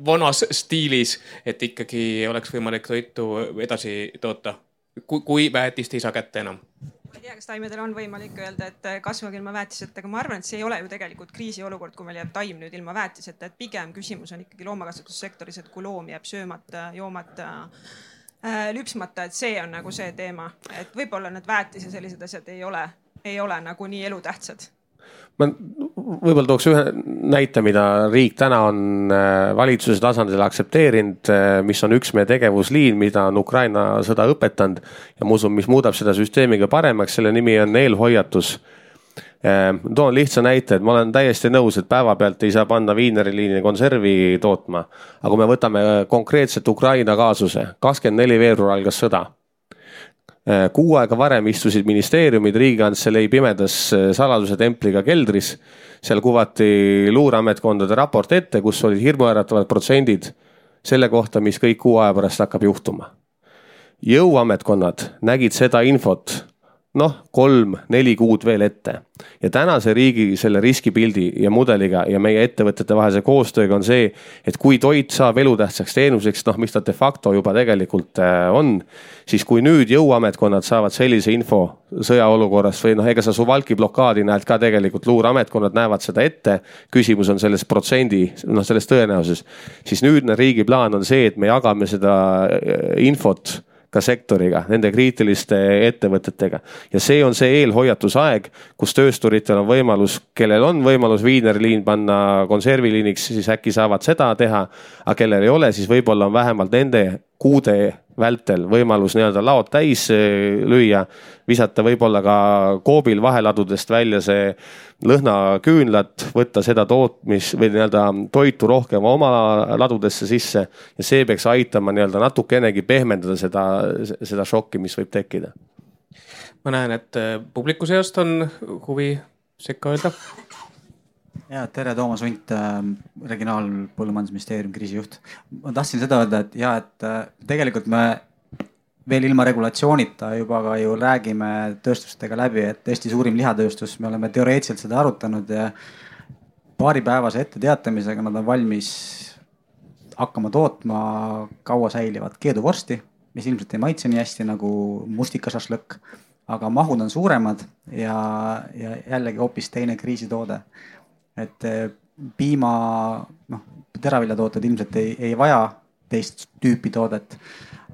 vanas stiilis, et ikkagi oleks võimalik toitu edasi toota, kui väetist ei saa kätte enam? Ma ei tea, kas taimedel on võimalik öelda, et kasvage ilma väetisetega, aga ma arvan, et see ei ole ju tegelikult kriisiolukord, kui meil jääb taim nüüd ilma väetiseta, et pigem küsimus on ikkagi loomakasvatussektoris, et kui loom jääb söömata, joomata, lüpsmata, et see on nagu see teema, et võib-olla need väetis ja sellised asjad ei ole nagu nii elutähtsad. Ma võib-olla tooks ühe näite, mida riik täna on valitsuse tasandil aktsepteerinud, mis on üks meie tegevusliin, mida on Ukraina sõda õpetanud ja ma usun, mis muudab seda süsteemiga paremaks, selle nimi on eelhoiatus. Toon lihtsa näite, et ma olen täiesti nõus, et päeva pealt ei saa panna viineriliini konservi tootma, aga kui me võtame konkreetselt Ukraina kaasuse, 24 veebruar algas sõda. 6 aega varem istusid ministeeriumid Riigikantselei pimedas saladuse templiga keldris. Seal kuvati luureametkondade raport ette, kus olid hirmuäratavad protsendid selle kohta, mis kõik 6 aja pärast hakkab juhtuma. Jõuametkonnad nägid seda infot 3-4 kuud veel ette. Ja tänase riigi selle riskipildi ja mudeliga ja meie ettevõtete vahelise koostööga on see, et kui toit saab elutähtsaks teenuseks, mis ta de facto juba tegelikult on, siis kui nüüd jõuametkonnad saavad sellise info sõjaolukorras või ega sa Suwałki blokaadi näed ka tegelikult, luureametkonnad näevad seda ette, küsimus on selles protsendi, selles tõenäosus, siis nüüdne riigi plaan on see, et me jagame seda infot ka sektoriga, nende kriitiliste ettevõtetega. Ja see on see eelhoiatusaeg, kus töösturitel on võimalus, kellel on võimalus viinerliin panna konserviliiniks, siis äkki saavad seda teha, aga kellel ei ole, siis võib-olla on vähemalt nende kuude vältel võimalus nii-öelda laod täis lüüa, visata võib-olla ka koobil vaheladudest välja see lõhnaküünlat, võtta seda tootmis või nii-öelda toitu rohkem oma ladudesse sisse ja see peaks aitama nii-öelda natukenegi pehmendada seda šokki, mis võib tekkida. Ma näen, et publiku seast on huvi sekka öelda. Ja, tere, Toomas Unt, Regionaalpõllumajandusministeerium kriisijuht. Ma tahtsin seda öelda, et tegelikult me veel ilma regulatsioonita juba ka ju räägime tööstustega läbi, et Eesti suurim lihatööstus, me oleme teoreetiliselt seda arutanud ja paaripäevase ette teatamisega nad on valmis hakkama tootma kaua säilivat keeduvorsti, mis ilmselt ei maitse nii hästi nagu mustikašašlõkk, aga mahud on suuremad ja jällegi hoopis teine kriisitoode. Et piima, teraviljatooted ilmselt ei vaja teist tüüpi toodet,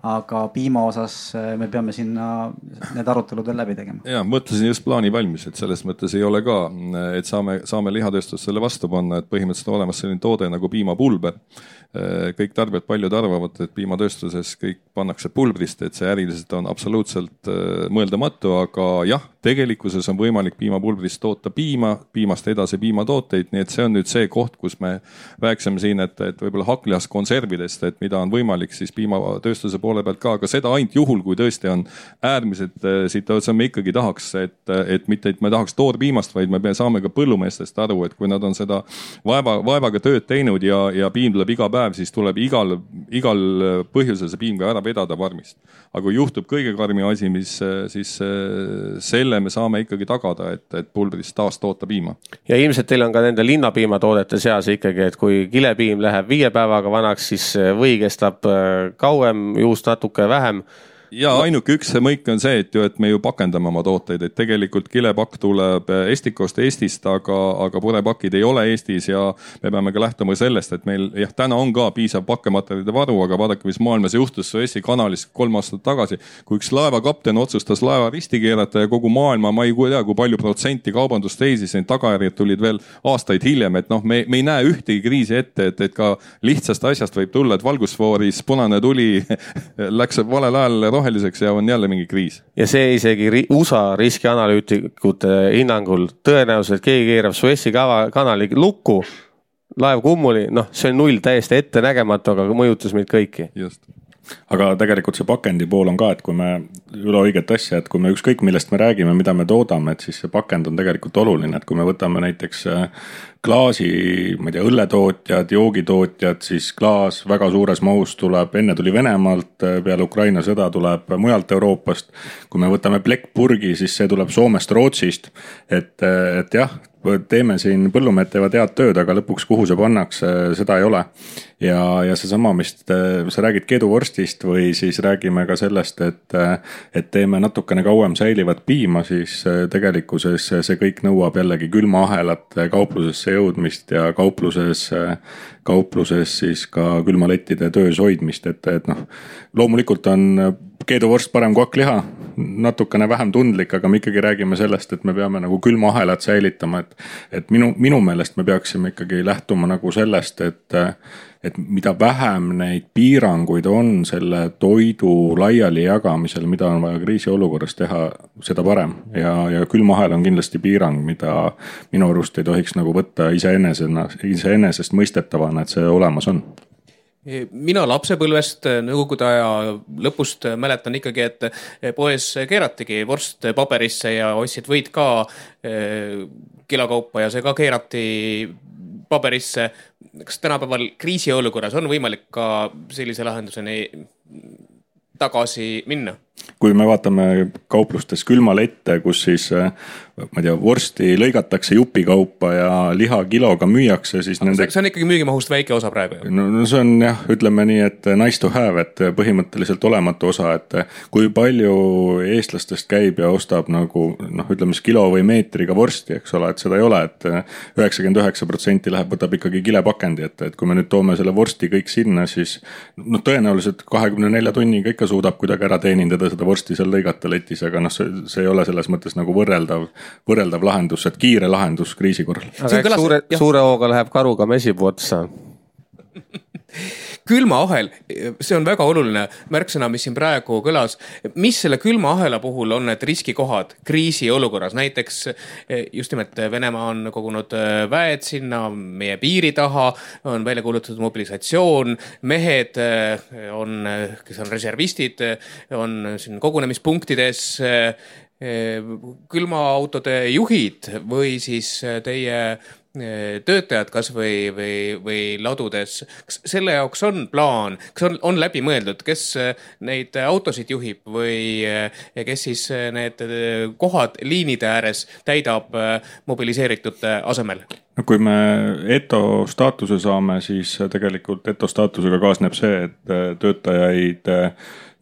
aga piima osas me peame sinna need arutelud veel läbi tegema. Ja, mõtlesin just plaani valmis, et selles mõttes ei ole ka, et saame lihatööstus selle vastu panna, et põhimõtteliselt on olemas selline toode nagu piimapulber. Kõik tarbijad paljud arvavad, et piimatööstuses kõik pannakse pulbrist, et see äriliselt on absoluutselt mõeldamatu, aga jah, tegelikkuses on võimalik piimapulbrist toota piimast edasi piimatooteid, nii et see on nüüd see koht, kus me rääksime siin, et võib-olla haklihast konservidest, et mida on võimalik siis piimatööstuse poole pealt ka, aga seda ainult juhul, kui tõesti on äärmiselt situatsioon, me ikkagi tahaks, et mitte et me tahaks toorpiimast, vaid me saame ka põllumeestest aru, et kui nad on seda vaevaga tööd teinud ja piim tuleb iga päev, siis tuleb igal põhjusel see piim ka ära vedada varmist. Aga kui juhtub kõige karmi asi, siis selle me saame ikkagi tagada, et pulbrist taas toota piima. Ja ilmselt teil on ka nende linnapiimatoodete seas ikkagi, et kui kilepiim läheb 5 päevaga vanaks, siis või kestab kauem, juust natuke vähem. Ja ainuke üks mõik on see, et me ju pakendame oma tooteid, et tegelikult kilepakk tuleb Estikost Eestist, aga purepakid ei ole Eestis ja me peame ka lähtuma sellest, et meil täna on ka piisav pakkematerjalide varu, aga vaadake, mis maailmas juhtus Suessi kanalis 3 aastat tagasi, kui üks laevakapten otsustas laeva risti keerata ja kogu maailma, ma ei tea, kui palju protsenti kaubandust teisis, need tagajärjed tulid veel aastaid hiljem, et me ei näe ühtegi kriisi ette, et ka lihtsast asjast võib tulla, et valgusfooris punane tuli läks valel ajal roheliseks ja on jälle mingi kriis. Ja see isegi USA riskianalüütikute hinnangul tõenäoliselt keegi keerab Suessi kanali lukku, laev kummuli, see on 0 täiesti ette nägematu, aga mõjutas meid kõiki. Just. Aga tegelikult see pakendi pool on ka, et kui me üle õiget asja, et kui me ükskõik millest me räägime, mida me toodame, et siis see pakend on tegelikult oluline, et kui me võtame näiteks klaasi, ma ei tea, õlletootjad, joogitootjad, siis klaas väga suures mahus tuleb, enne tuli Venemaalt, peale Ukraina sõda tuleb mujalt Euroopast. Kui me võtame plekkpurgi, siis see tuleb Soomest, Rootsist, et jah, teeme siin põllumehed teevad head tööd, aga lõpuks kuhu see pannakse, seda ei ole. Ja seesama, mis sa räägid keeduvorstist või siis räägime ka sellest, et teeme natukene kauem säilivat piima, siis tegelikkuses see kõik nõuab jällegi külmaahelat kauplusesse jõudmist ja kaupluses siis ka külmalettide töös hoidmist, et loomulikult on keeduvorst parem kui hakkliha, natukene vähem tundlik, aga me ikkagi räägime sellest, et me peame nagu külmaahelat säilitama, et minu meelest me peaksime ikkagi lähtuma nagu sellest, et mida vähem neid piiranguid on selle toidu laiali jagamisel, mida on vaja kriisiolukorras teha, seda parem. Ja külmahel on kindlasti piirang, mida minu arust ei tohiks nagu võtta iseenesest mõistetavana, et see olemas on. Mina lapsepõlvest nõukogude aja lõpust mäletan ikkagi, et poes keeratigi vorst paberisse ja ostsid võid ka kilokaupa ja see ka keerati paberisse. Kas tänapäeval kriisiolukorras on võimalik ka sellise lahenduseni tagasi minna? Kui me vaatame kauplustes külmalette, kus siis, ma ei tea, vorsti lõigatakse jupikaupa ja liha kiloga müüakse, siis see on ikkagi müügimahust väike osa praegu. No see on jah, ütleme nii, et nice to have, et põhimõtteliselt olematu osa, et kui palju eestlastest käib ja ostab nagu, ütleme kilo või meetriga vorsti, eks ole, et seda ei ole, et 99% võtab ikkagi kilepakendi, et kui me nüüd toome selle vorsti kõik sinna, siis tõenäoliselt 24 tunniga ikka suudab kuidagi ära teenindada seda vorsti seal lõigata letis, aga see ei ole selles mõttes nagu võrreldav lahendus, et kiire lahendus kriisi korral. Aga suure hooga läheb karuga mesipuu otsa. Külmaahel, see on väga oluline märksõna, mis siin praegu kõlas. Mis selle külmaahela puhul on need riskikohad kriisi olukorras? Näiteks just nimelt Venemaa on kogunud väed sinna meie piiri taha, on välja kuulutatud mobilisatsioon, mehed kes on reservistid, on siin kogunemispunktides, külmaautode juhid või siis teie töötajad kas või ladudes. Kas selle jaoks on plaan, kas on läbi mõeldud, kes neid autosid juhib või kes siis need kohad liinide ääres täidab mobiliseeritute asemel? No, kui me ETO staatuse saame, siis tegelikult ETO staatusega kaasneb see, et töötajaid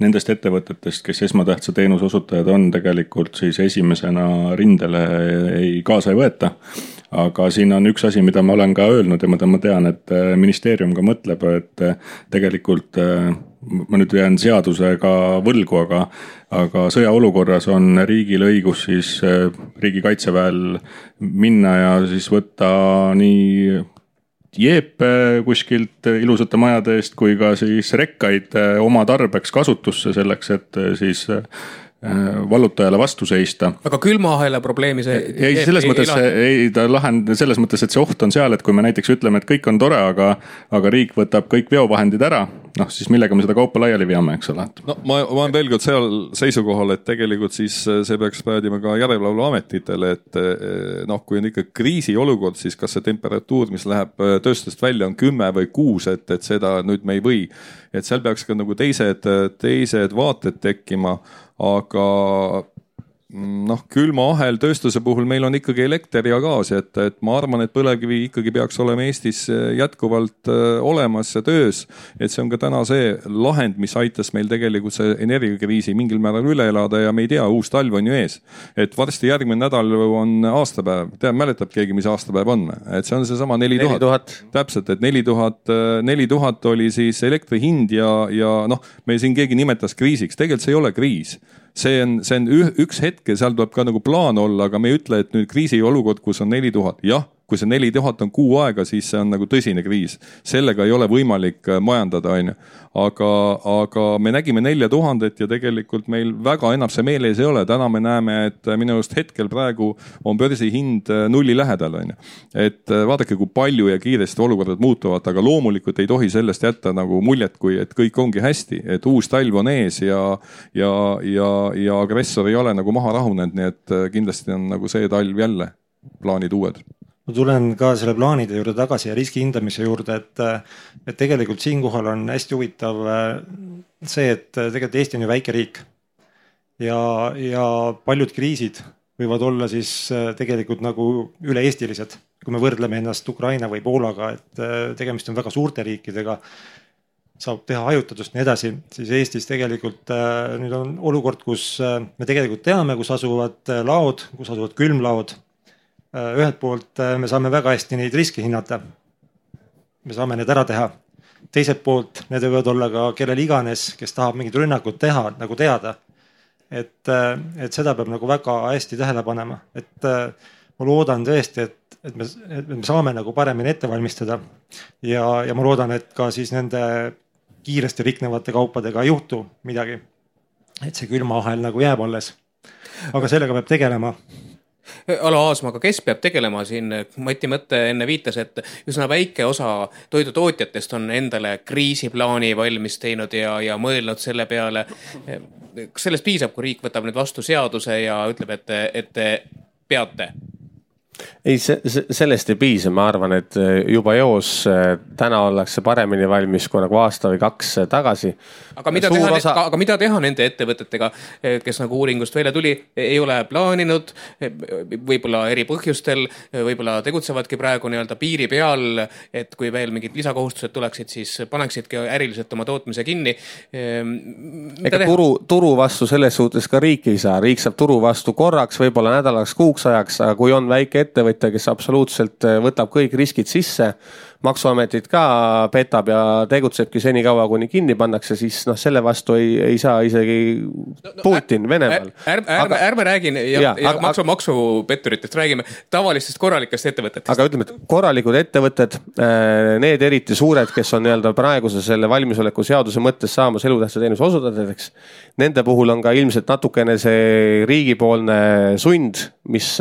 nendest ettevõtetest, kes esmatähtsa teenuse osutajad on, tegelikult siis esimesena rindele kaasa ei võeta. Aga siin on üks asi, mida ma olen ka öelnud ja mida ma tean, et ministeerium ka mõtleb, et tegelikult ma nüüd jään seadusega võlgu, aga sõjaolukorras on riigil õigus siis riigi kaitseväel minna ja siis võtta nii jeepe kuskilt ilusate majade eest kui ka siis rekkaid oma tarbeks kasutusse selleks, et siis vallutajale vastu seista. Aga külmaahela probleemi see ei, selles mõttes ta lahend selles mõttes, et see oht on seal, et kui me näiteks ütleme, et kõik on tore, aga riik võtab kõik veovahendid ära, noh siis millega me seda kaupa laiali veame, eks ole. No ma olen veel kord seal seisukohal, et tegelikult siis see peaks päädima ka järelevalveametitele, et noh, kui on ikka kriisiolukord, siis kas see temperatuur, mis läheb tööstusest välja on 10 või 6, et seda nüüd me ei või. Et seal peaks ka nagu teised vaated tekkima, aga noh, külmaahel tööstuse puhul meil on ikkagi elekter ja gaas, et ma arvan, et põlevkivi ikkagi peaks olema Eestis jätkuvalt olemas ja töös, et see on ka täna see lahend, mis aitas meil tegelikult see energiakriisi mingil määral üle elada ja me ei tea, uus talv on ju ees, et varsti järgmine nädal on aastapäev, mäletab keegi, mis aastapäev on, et see on see sama 4000. Täpselt, et 4000 oli siis elektri hind ja noh, me siin keegi nimetas kriisiks, tegelikult see ei ole kriis. See on üks hetk ja seal tuleb ka nagu plaan olla, aga me ei ütle, et nüüd kriisi olukord, kus on 4000. Jah, kui see 4000 on kuu aega, siis see on nagu tõsine kriis. Sellega ei ole võimalik majandada, on ju. Aga me nägime 4000 ja tegelikult meil väga enam see meeles ei ole. Täna me näeme, et minu just hetkel praegu on börsi hind nulli lähedal, on ju. Et vaadake, kui palju ja kiiresti olukorrad muutuvad, aga loomulikult ei tohi sellest jätta nagu muljet, kui et kõik ongi hästi, et uus talv on ees ja agressor ei ole nagu maha rahunenud, nii et kindlasti on nagu see talv jälle plaanid uued. Ma tulen ka selle plaanide juurde tagasi ja riski hindamise juurde, et tegelikult siinkohal on hästi huvitav see, et tegelikult Eesti on ju väike riik ja paljud kriisid võivad olla siis tegelikult nagu üle-eestilised, kui me võrdleme ennast Ukraina või Poolaga, et tegemist on väga suurte riikidega, saab teha hajutatust nii edasi, siis Eestis tegelikult nüüd on olukord, kus me tegelikult teame, kus asuvad laod, kus asuvad külmlaod. Ühelt poolt me saame väga hästi neid riske hinnata. Me saame need ära teha. Teiselt poolt need võivad olla ka kellel iganes, kes tahab mingit rünnakut teha, nagu teada. Et seda peab nagu väga hästi tähele panema. Et ma loodan tõesti, et me saame nagu paremini ette valmistada. Ja ma loodan, et ka siis nende kiiresti riknevate kaupadega ei juhtu midagi. Et see külmaahel nagu jääb alles. Aga sellega peab tegelema. Alo Aasmaga, kes peab tegelema siin? Mati Mõtte enne viitas, et üsna väike osa toidutootjatest on endale kriisiplaani valmis teinud ja mõelnud selle peale. Kas sellest piisab, kui riik võtab nüüd vastu seaduse ja ütleb, et te peate? Ei, sellest ei piisa, ma arvan, et juba eos täna ollakse paremini valmis kui nagu aasta või 2 tagasi. Aga mida teha nende ettevõtetega, kes nagu uuringust välja tuli, ei ole plaaninud, võib-olla eri põhjustel, võib-olla tegutsevadki praegu nii-öelda piiri peal, et kui veel mingid lisakohustused tuleksid, siis paneksidki äriliselt oma tootmise kinni. Ega turu vastu selles suhtes ka riik ei saa. Riik saab turu vastu korraks, võib-olla nädalaks, kuuks ajaks, aga kui on väike ettevõtja, kes absoluutselt võtab kõik riskid sisse, maksuametit ka petab ja tegutsebki senikaua, kuni kinni pannakse, siis selle vastu ei saa isegi Putin Venemaal. Ärme räägin maksupetturitest, räägime tavalistest korralikest ettevõtetest. Aga ütleme, et korralikud ettevõtted, need eriti suured, kes on praeguse selle valmisoleku seaduse mõttes saamas elutähtsa teenuse osutajateks, nende puhul on ka ilmselt natukene see riigipoolne sund, mis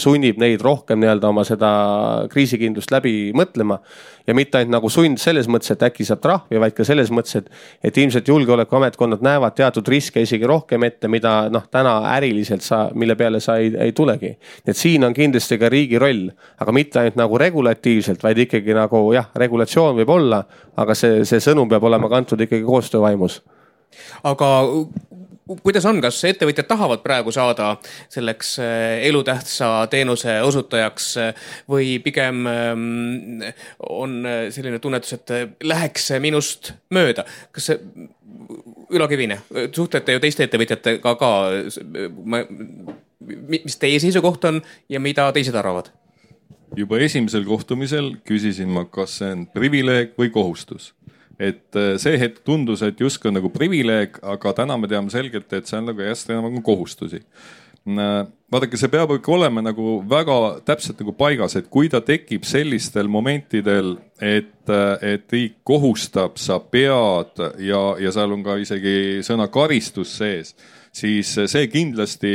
sunnib neid rohkem oma seda kriisikindlust läbi mõtlema. ja mitte ainult nagu sund selles mõttes, et äkki saab trahvi, vaid ka selles mõttes, et ilmselt julgeolekuametkonnad näevad teatud riske isegi rohkem ette, mida täna äriliselt mille peale sa ei tulegi. Et siin on kindlasti ka riigi roll, aga mitte ainult nagu regulatiivselt, vaid ikkagi nagu regulatsioon võib olla, aga see sõnum peab olema kantud ikkagi koostöövaimus. Aga kuidas on, kas ettevõtjad tahavad praegu saada selleks elutähtsa teenuse osutajaks või pigem on selline tunnetus, et läheks minust mööda? Kas see Ülo Kivine, suhtlete ju teiste ettevõtjatega ka, mis teie seisukoht on ja mida teised arvavad? Juba esimesel kohtumisel küsisin ma, kas see on privileeg või kohustus. Et see hetk tundus, et justkui on nagu privileeg, aga täna me teame selgelt, et see on nagu järjest enam nagu kohustusi. Vaadake, see peab ikka olema nagu väga täpselt nagu paigas, et kui ta tekib sellistel momentidel, et riik kohustab, sa pead ja seal on ka isegi sõna karistus sees, siis see kindlasti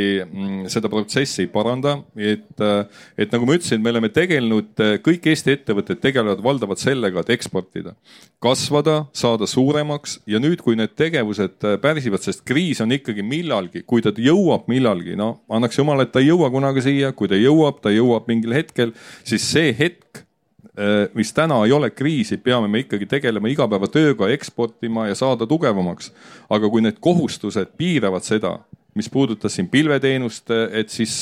seda protsessi ei paranda. Et nagu ma ütlesin, me oleme tegelenud, kõik Eesti ettevõtted tegelevad valdavalt sellega, et eksportida, kasvada, saada suuremaks ja nüüd, kui need tegevused pärsivad, sest kriis on ikkagi millalgi, kui ta jõuab millalgi, annaks jumal, et ta ei jõua kunagi siia, kui ta jõuab mingil hetkel, siis see hetk, mis täna ei ole kriisi, peame me ikkagi tegelema igapäevatööga, eksportima ja saada tugevamaks. Aga kui need kohustused piiravad seda, mis puudutas siin pilveteenust, et siis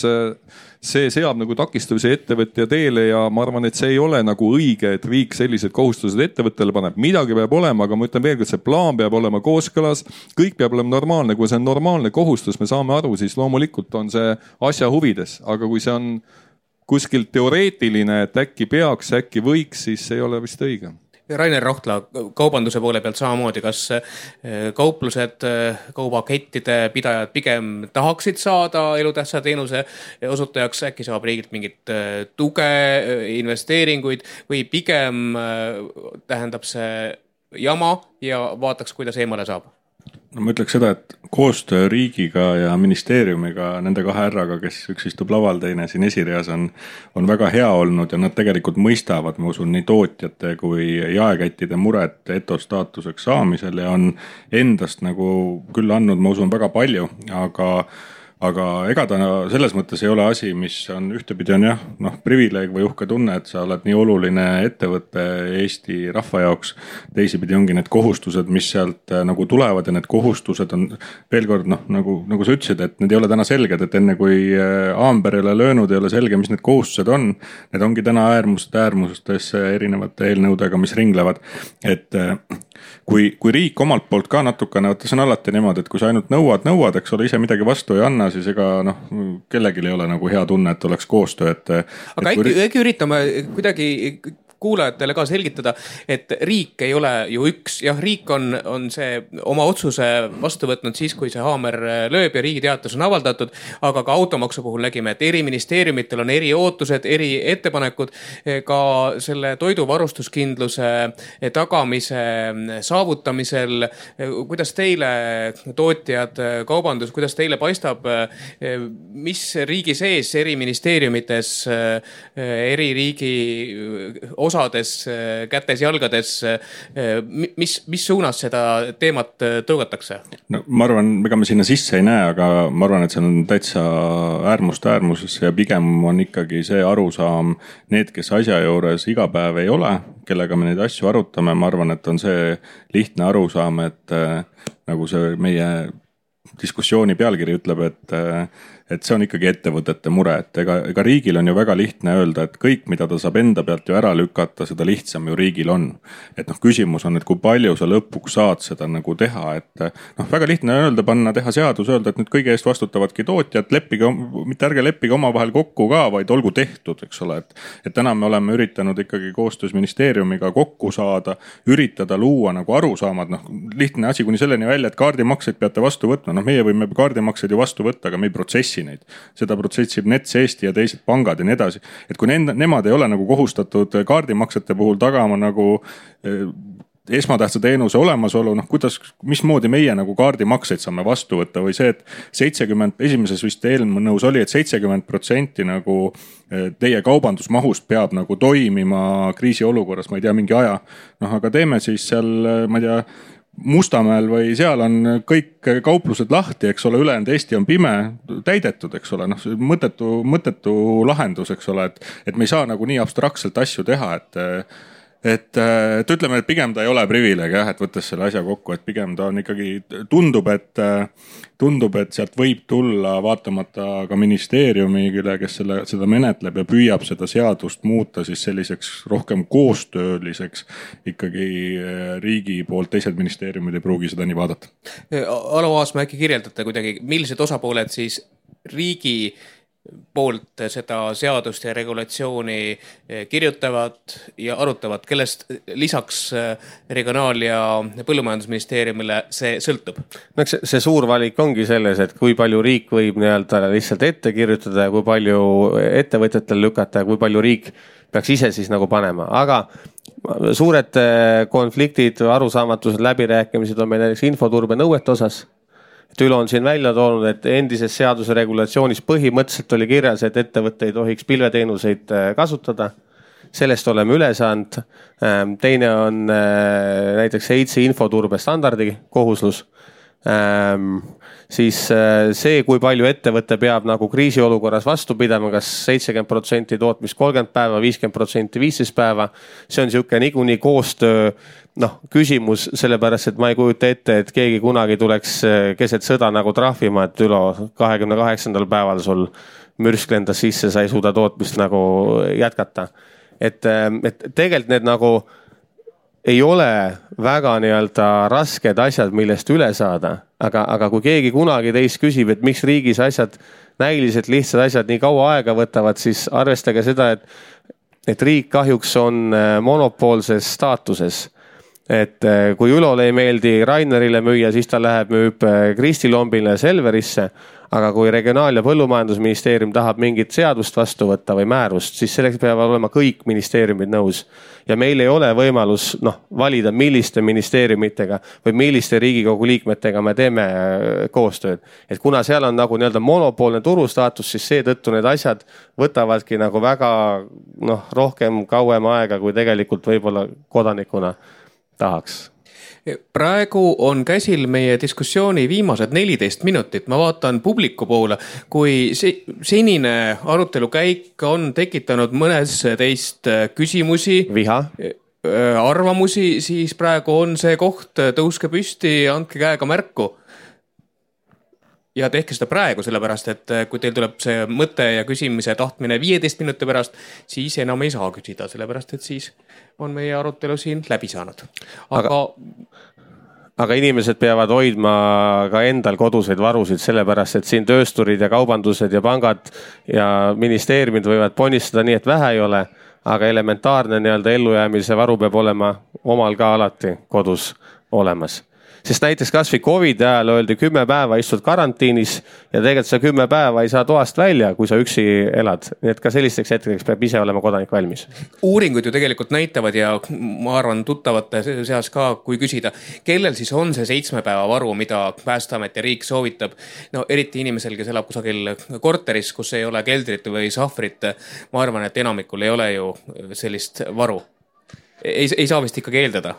see seab nagu takistusi ettevõtja teele ja ma arvan, et see ei ole nagu õige, et riik sellised kohustused ettevõttele paneb. Midagi peab olema, aga ma ütlen veel, et see plaan peab olema kooskõlas, kõik peab olema normaalne. Kui see on normaalne kohustus, me saame aru, siis loomulikult on see asja huvides, aga kui see on kuskil teoreetiline, et äkki peaks, äkki võiks, siis ei ole vist õige. Rainer Rohtla, kaubanduse poole pealt samamoodi, kas kauplused, kaubakettide pidajad pigem tahaksid saada elutähtsa teenuse osutajaks, äkki saab riigilt mingit tuge, investeeringuid või pigem tähendab see jama ja vaataks, kuidas eemale saab? No ma ütleks seda, et koostöö riigiga ja ministeeriumiga, nende kahe härraga, kes üks istub laval, teine siin esireas on väga hea olnud ja nad tegelikult mõistavad, ma usun, nii tootjate kui jaekättide muret etostaatuseks saamisel ja on endast nagu küll andnud, ma usun, väga palju, aga ega ta selles mõttes ei ole asi, mis on ühtepidi on privileeg või uhke tunne, et sa oled nii oluline ettevõtte Eesti rahva jaoks. Teisipidi ongi need kohustused, mis sealt nagu tulevad ja need kohustused on veel kord, nagu sa ütlesid, et need ei ole täna selged, et enne kui Aamber ei ole löönud, ei ole selge, mis need kohustused on. Need ongi täna äärmustes erinevate eelnõudega, mis ringlevad, et kui riik omalt poolt ka natukene, see on alati niimoodi, et kui sa ainult nõuad, eks ole, ise midagi vastu ei anna, siis ega kellelgi ei ole nagu hea tunne, et oleks koostöö. Aga äkki üritame kuidagi kuulajatele ka selgitada, et riik ei ole ju üks, riik on see oma otsuse vastu võtnud siis, kui see haamer lööb ja riigi teatus on avaldatud, aga ka automaksu puhul nägime, et eri ministeeriumitel on eri ootused, eri ettepanekud, ka selle toiduvarustuskindluse tagamise saavutamisel. Kuidas teile tootjad, kaubandus, kuidas teile paistab, mis riigi sees, eri ministeeriumites, eri riigi osades, kätes, jalgades, mis suunas seda teemat tõugatakse? No, ma arvan, ega me sinna sisse ei näe, aga ma arvan, et see on täitsa äärmuses ja pigem on ikkagi see arusaam, need, kes asja juures iga päev ei ole, kellega me neid asju arutame, ma arvan, et on see lihtne arusaam, et nagu see meie diskussiooni pealkiri ütleb, et see on ikkagi ettevõtete mure, et ega riigil on ju väga lihtne öelda, et kõik, mida ta saab enda pealt ju ära lükata, seda lihtsam ju riigil on. Et küsimus on, et kui palju sa lõpuks saad seda nagu teha, et väga lihtne öelda, teha seadus, öelda, et nüüd kõige eest vastutavadki tootjad, mitte ärge leppige omavahel kokku ka, vaid olgu tehtud, eks ole, et täna me oleme üritanud ikkagi koostöös ministeeriumiga kokku saada, üritada luua nagu arusaamad, lihtne asi kuni selleni välja, et kaardimakseid peate vastu võtma, meie võime kaardimakseid ju vastu võtta, aga me ei protsessi neid. Seda protsessib Nets Eesti ja teised pangad ja nii edasi. Et kui nemad ei ole nagu kohustatud kaardimaksete puhul tagama nagu esmatähtsa teenuse olemasolu, mismoodi meie nagu kaardimakseid saame vastu võtta või see, et 70, esimeses vist eelnõus oli, et 70% nagu teie kaubandusmahust peab nagu toimima kriisiolukorras, ma ei tea, mingi aja. Aga teeme siis seal, ma ei tea, Mustamäel või seal on kõik kauplused lahti, eks ole, ülejäänud Eesti on pime, täidetud, eks ole, mõttetu lahendus, eks ole, et me ei saa nagu nii abstraktselt asju teha, et ütleme, et pigem ta ei ole privileeg, et võttes selle asja kokku, et pigem ta on ikkagi, tundub, et sealt võib tulla vaatamata ka ministeeriumile, kes seda menetleb ja püüab seda seadust muuta siis selliseks rohkem koostööliseks ikkagi riigi poolt, teised ministeeriumid ei pruugi seda nii vaadata. Alo Aasma, äkki kirjeldate kuidagi, millised osapooled siis riigi poolt seda seadust ja regulatsiooni kirjutavad ja arutavad, kellest lisaks Regionaal- ja Põllumajandusministeeriumile see sõltub? See suur valik ongi selles, et kui palju riik võib nii-öelda lihtsalt ette kirjutada ja kui palju ettevõtjatel lükata ja kui palju riik peaks ise siis nagu panema, aga suured konfliktid, arusaamatused, läbirääkimised on meil näiteks infoturbe nõuete osas. Ülo on siin välja toonud, et endises seaduse regulatsioonis põhimõtteliselt oli kirjas, et ettevõtte ei tohiks pilveteenuseid kasutada. Sellest oleme üle saanud. Teine on näiteks EITS-i infoturbe standardi kohuslus. Siis see, kui palju ettevõte peab nagu kriisiolukorras vastu pidama, kas 70% tootmist 30 päeva, 50% 15 päeva. See on niisugune niikuinii koostöö küsimus, sellepärast, et ma ei kujuta ette, et keegi kunagi tuleks keset sõda nagu trahvima, et Ülo 28. päeval sul mürsk lendas sisse, sa ei suuda tootmist nagu jätkata. Et tegelikult need nagu ei ole väga nii-öelda rasked asjad, millest üle saada, aga kui keegi kunagi teist küsib, et miks riigis asjad, näiliselt lihtsad asjad nii kaua aega võtavad, siis arvestage seda, et riik kahjuks on monopoolses staatuses. Et kui Ülole ei meeldi Rainerile müüa, siis ta läheb müüb Kristi Lombile Selverisse, aga kui Regionaal- ja Põllumajandusministeerium tahab mingit seadust vastu võtta või määrust, siis selleks peavad olema kõik ministeeriumid nõus. Ja meil ei ole võimalus valida, milliste ministeeriumitega või milliste Riigikogu liikmetega me teeme koostööd. Et kuna seal on nagu nii-öelda monopoolne turustaatus, siis seetõttu need asjad võtavadki nagu väga rohkem kauem aega, kui tegelikult võib-olla kodanikuna tahaks. Praegu on käsil meie diskussiooni viimased 14 minutit. Ma vaatan publiku poole, kui senine arutelu käik on tekitanud mõnes teist küsimusi, viha, arvamusi, siis praegu on see koht, tõuske püsti, andke käega märku. Ja tehke seda praegu, sellepärast, et kui teil tuleb see mõte ja küsimise tahtmine 15 minuti pärast, siis enam ei saa küsida, sellepärast, et siis on meie arutelu siin läbi saanud. Aga inimesed peavad hoidma ka endal koduseid varusid, sellepärast, et siin töösturid ja kaubandused ja pangad ja ministeeriumid võivad ponnistada nii, et vähe ei ole, aga elementaarne nii-öelda ellujäämise varu peab olema omal ka alati kodus olemas. Sest näiteks kas või COVID ajal öeldi 10 päeva istud karantiinis ja tegelikult sa 10 päeva ei saa toast välja, kui sa üksi elad. Nii et ka sellisteks hetkeks peab ise olema kodanik valmis. Uuringud ju tegelikult näitavad ja ma arvan tuttavate seas ka, kui küsida, kellel siis on see 7 päeva varu, mida Päästeamet ja riik soovitab. Eriti inimesel, kes elab kusagil korteris, kus ei ole keldrit või sahvrit. Ma arvan, et enamikul ei ole ju sellist varu. Ei saa vist ikkagi eeldada.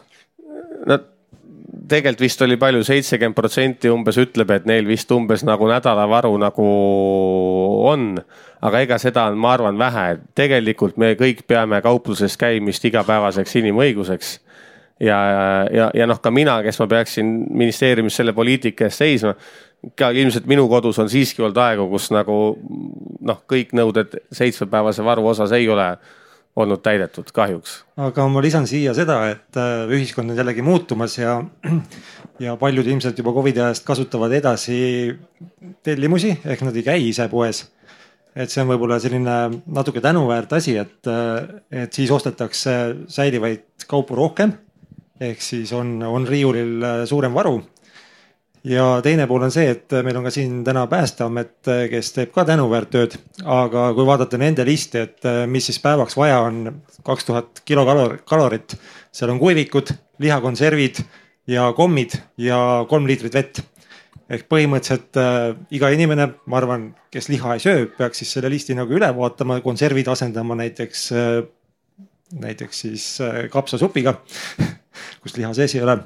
Tegelikult vist oli palju, 70% umbes ütleb, et neil vist umbes nagu nädalavaru nagu on, aga ega seda on, ma arvan, vähe. Tegelikult me kõik peame kaupluses käimist igapäevaseks inimõiguseks ja ka mina, kes ma peaksin ministeeriumis selle poliitika eest seisma, ka ilmselt minu kodus on siiski olnud aegu, kus nagu kõik nõuded 7-päevase varu osas ei ole olnud täidetud kahjuks. Aga ma lisan siia seda, et ühiskond on jällegi muutumas ja paljud ilmselt juba COVID ajast kasutavad edasi tellimusi, ehk nad ei käi ise poes. Et see on võib-olla selline natuke tänuväärt asi, et siis ostetakse säilivaid kaupu rohkem, ehk siis on riiulil suurem varu. Ja teine pool on see, et meil on ka siin täna Päästeamet, kes teeb ka tänuväärt tööd, aga kui vaadata nende listi, et mis siis päevaks vaja on 2000 kilokalorit, seal on kuivikud, lihakonservid ja kommid ja 3 liitrit vett. Ehk põhimõtteliselt iga inimene, ma arvan, kes liha ei söö, peaks siis selle listi nagu üle vaatama, konservid asendama näiteks siis kapsasupiga, kus liha sees ei ole.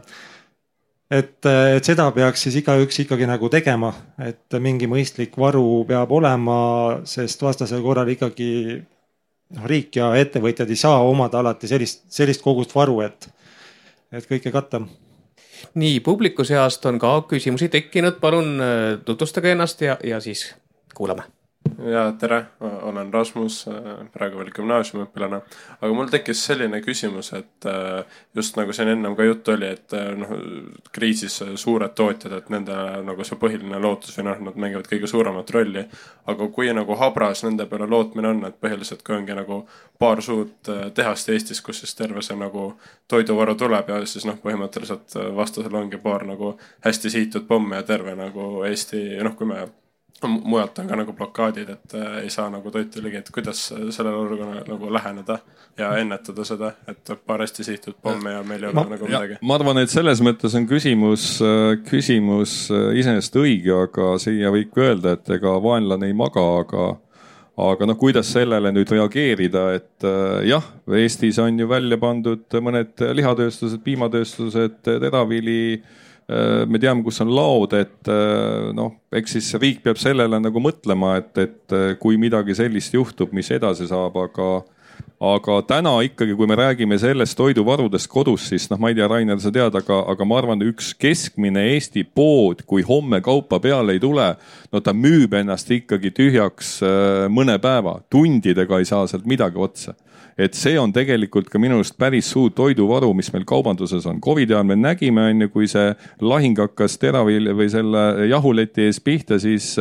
Et seda peaks siis igaüks ikkagi nagu tegema, et mingi mõistlik varu peab olema, sest vastasel korral ikkagi riik ja ettevõtjad ei saa omada alati sellist kogust varu, et kõike katta. Nii, publiku seast on ka küsimusi tekkinud, palun tutvustage ennast ja siis kuulame. Ja tere, olen Rasmus, praegu veel gümnaasiumiõpilane, aga mul tekkis selline küsimus, et just nagu siin ennem ka juttu oli, et kriisis suured tootjad, et nende nagu see põhiline lootus või nad mängivad kõige suuremat rolli, aga kui nagu habras nende peale lootmine on, et põhiliselt kui ongi nagu paar suurt tehast Eestis, kus siis terve see nagu toiduvaru tuleb ja siis põhimõtteliselt vastasel ongi paar nagu hästi sihitud pomme ja terve nagu Eesti, kui me mujalt on ka nagu blokaadid, et ei saa nagu toitu ligi, et kuidas sellele olukorrale nagu läheneda ja ennetada seda, et paar hästi sihitud pomme ja meil ei ole nagu midagi. Ma arvan, et selles mõttes on küsimus iseenesest õige, aga siia võib öelda, et ega vaenlane ei maga, aga kuidas sellele nüüd reageerida, et jah, Eestis on ju välja pandud mõned lihatööstused, piimatööstused, teravili, me teame, kus on laod, et eks siis riik peab sellele nagu mõtlema, et kui midagi sellist juhtub, mis edasi saab, aga täna ikkagi, kui me räägime sellest toiduvarudest kodus, siis ma ei tea, Rainer, sa tead, aga ma arvan, üks keskmine Eesti pood, kui homme kaupa peale ei tule, ta müüb ennast ikkagi tühjaks mõne päeva, tundidega ei saa sealt midagi otsa. Et see on tegelikult ka minu arust päris suur toiduvaru, mis meil kaubanduses on. Covidi ajal me nägime, kui see lahing hakkas teravil või selle jahuleti ees pihta, siis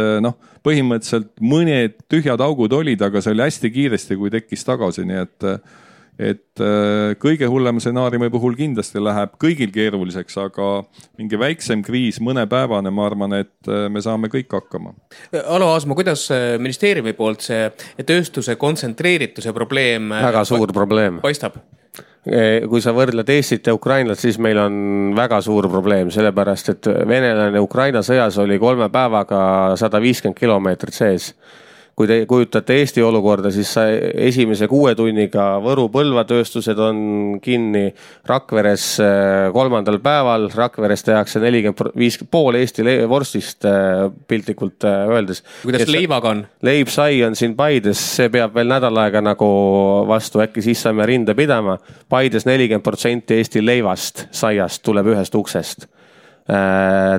põhimõtteliselt mõned tühjad augud olid, aga see oli hästi kiiresti, kui tekkis tagasi. Nii et kõige hullem stsenaariumi puhul kindlasti läheb kõigil keeruliseks, aga mingi väiksem kriis, mõnepäevane, ma arvan, et me saame kõik hakkama. Alo Aasma, kuidas ministeeriumi poolt see tööstuse kontsentreerituse probleem väga suur probleem paistab? Kui sa võrdled Eestit ja Ukrainat, siis meil on väga suur probleem, sellepärast et venelane Ukraina sõjas oli 3 päevaga 150 kilomeetrit sees. Kui te kujutate Eesti olukorda, siis esimese 6 tunniga Võru Põlvatööstused on kinni, Rakveres 3. päeval, Rakveres tehakse 45 pool Eesti vorstist piltlikult öeldes. Kuidas leivaga on? Leib sai on siin Paides, see peab veel nädal aega nagu vastu, äkki siis saame rinda pidama. Paides 40% Eesti leivast, saiast tuleb ühest uksest.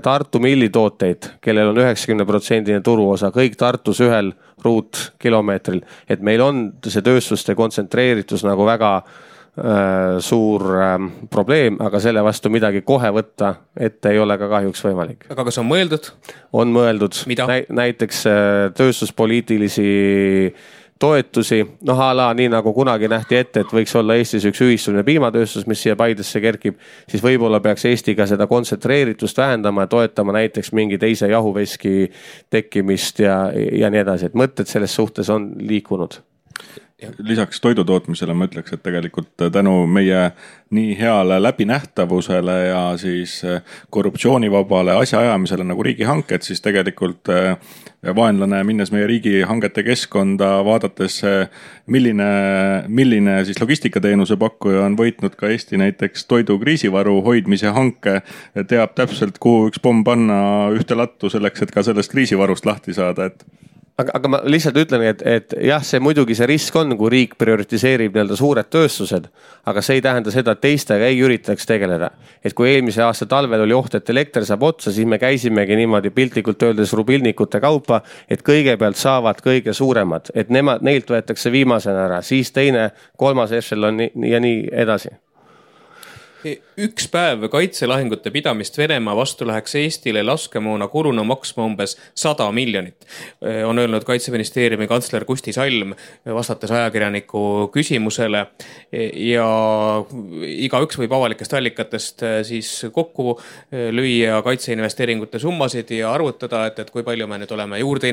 Tartu millitooteid, kellel on 90% turuosa, kõik Tartus ühel ruutkilomeetril, et meil on see tööstuste kontsentreeritus nagu väga suur probleem, aga selle vastu midagi kohe võtta ette ei ole ka kahjuks võimalik. Aga kas on mõeldud? On mõeldud. Mida? Näiteks tööstuspoliitilisi toetusi, nii nagu kunagi nähti ette, et võiks olla Eestis üks ühistuline piimatööstus, mis siia Paidesse kerkib, siis võib-olla peaks Eesti ka seda kontsentreeritust vähendama ja toetama näiteks mingi teise jahuveski tekkimist ja nii edasi, et mõtted selles suhtes on liikunud. Lisaks toidutootmisele ma ütleks, et tegelikult tänu meie nii heale läbinähtavusele ja siis korruptsioonivabale asjaajamisele nagu riigihanked, siis tegelikult vaenlane minnes meie riigihangete keskkonda, vaadates milline siis logistikateenuse pakkuja on võitnud ka Eesti näiteks toidu kriisivaru hoidmise hanke, teab täpselt, kuhu üks pomm panna ühte lattu selleks, et ka sellest kriisivarust lahti saada, et aga ma lihtsalt ütlen, et jah, see muidugi see risk on, kui riik prioritiseerib suured tööstused, aga see ei tähenda seda, et teistega ei üritaks tegeleda. Et kui eelmise aasta talvel oli oht, et elekter saab otsa, siis me käisimegi niimoodi piltlikult öeldes rubilnikute kaupa, et kõigepealt saavad kõige suuremad, et neilt võetakse viimasena ära, siis teine, 3. ešelon ja nii edasi. Üks päev kaitselahingute pidamist Venemaa vastu läheks Eestile laskemoona kuluna maksma umbes 100 miljonit. On öelnud Kaitseministeeriumi kantsler Kusti Salm, vastates ajakirjaniku küsimusele. Ja igaüks võib avalikest allikatest siis kokku lüüa kaitseinvesteeringute summasid ja arvutada, et kui palju me nüüd oleme juurde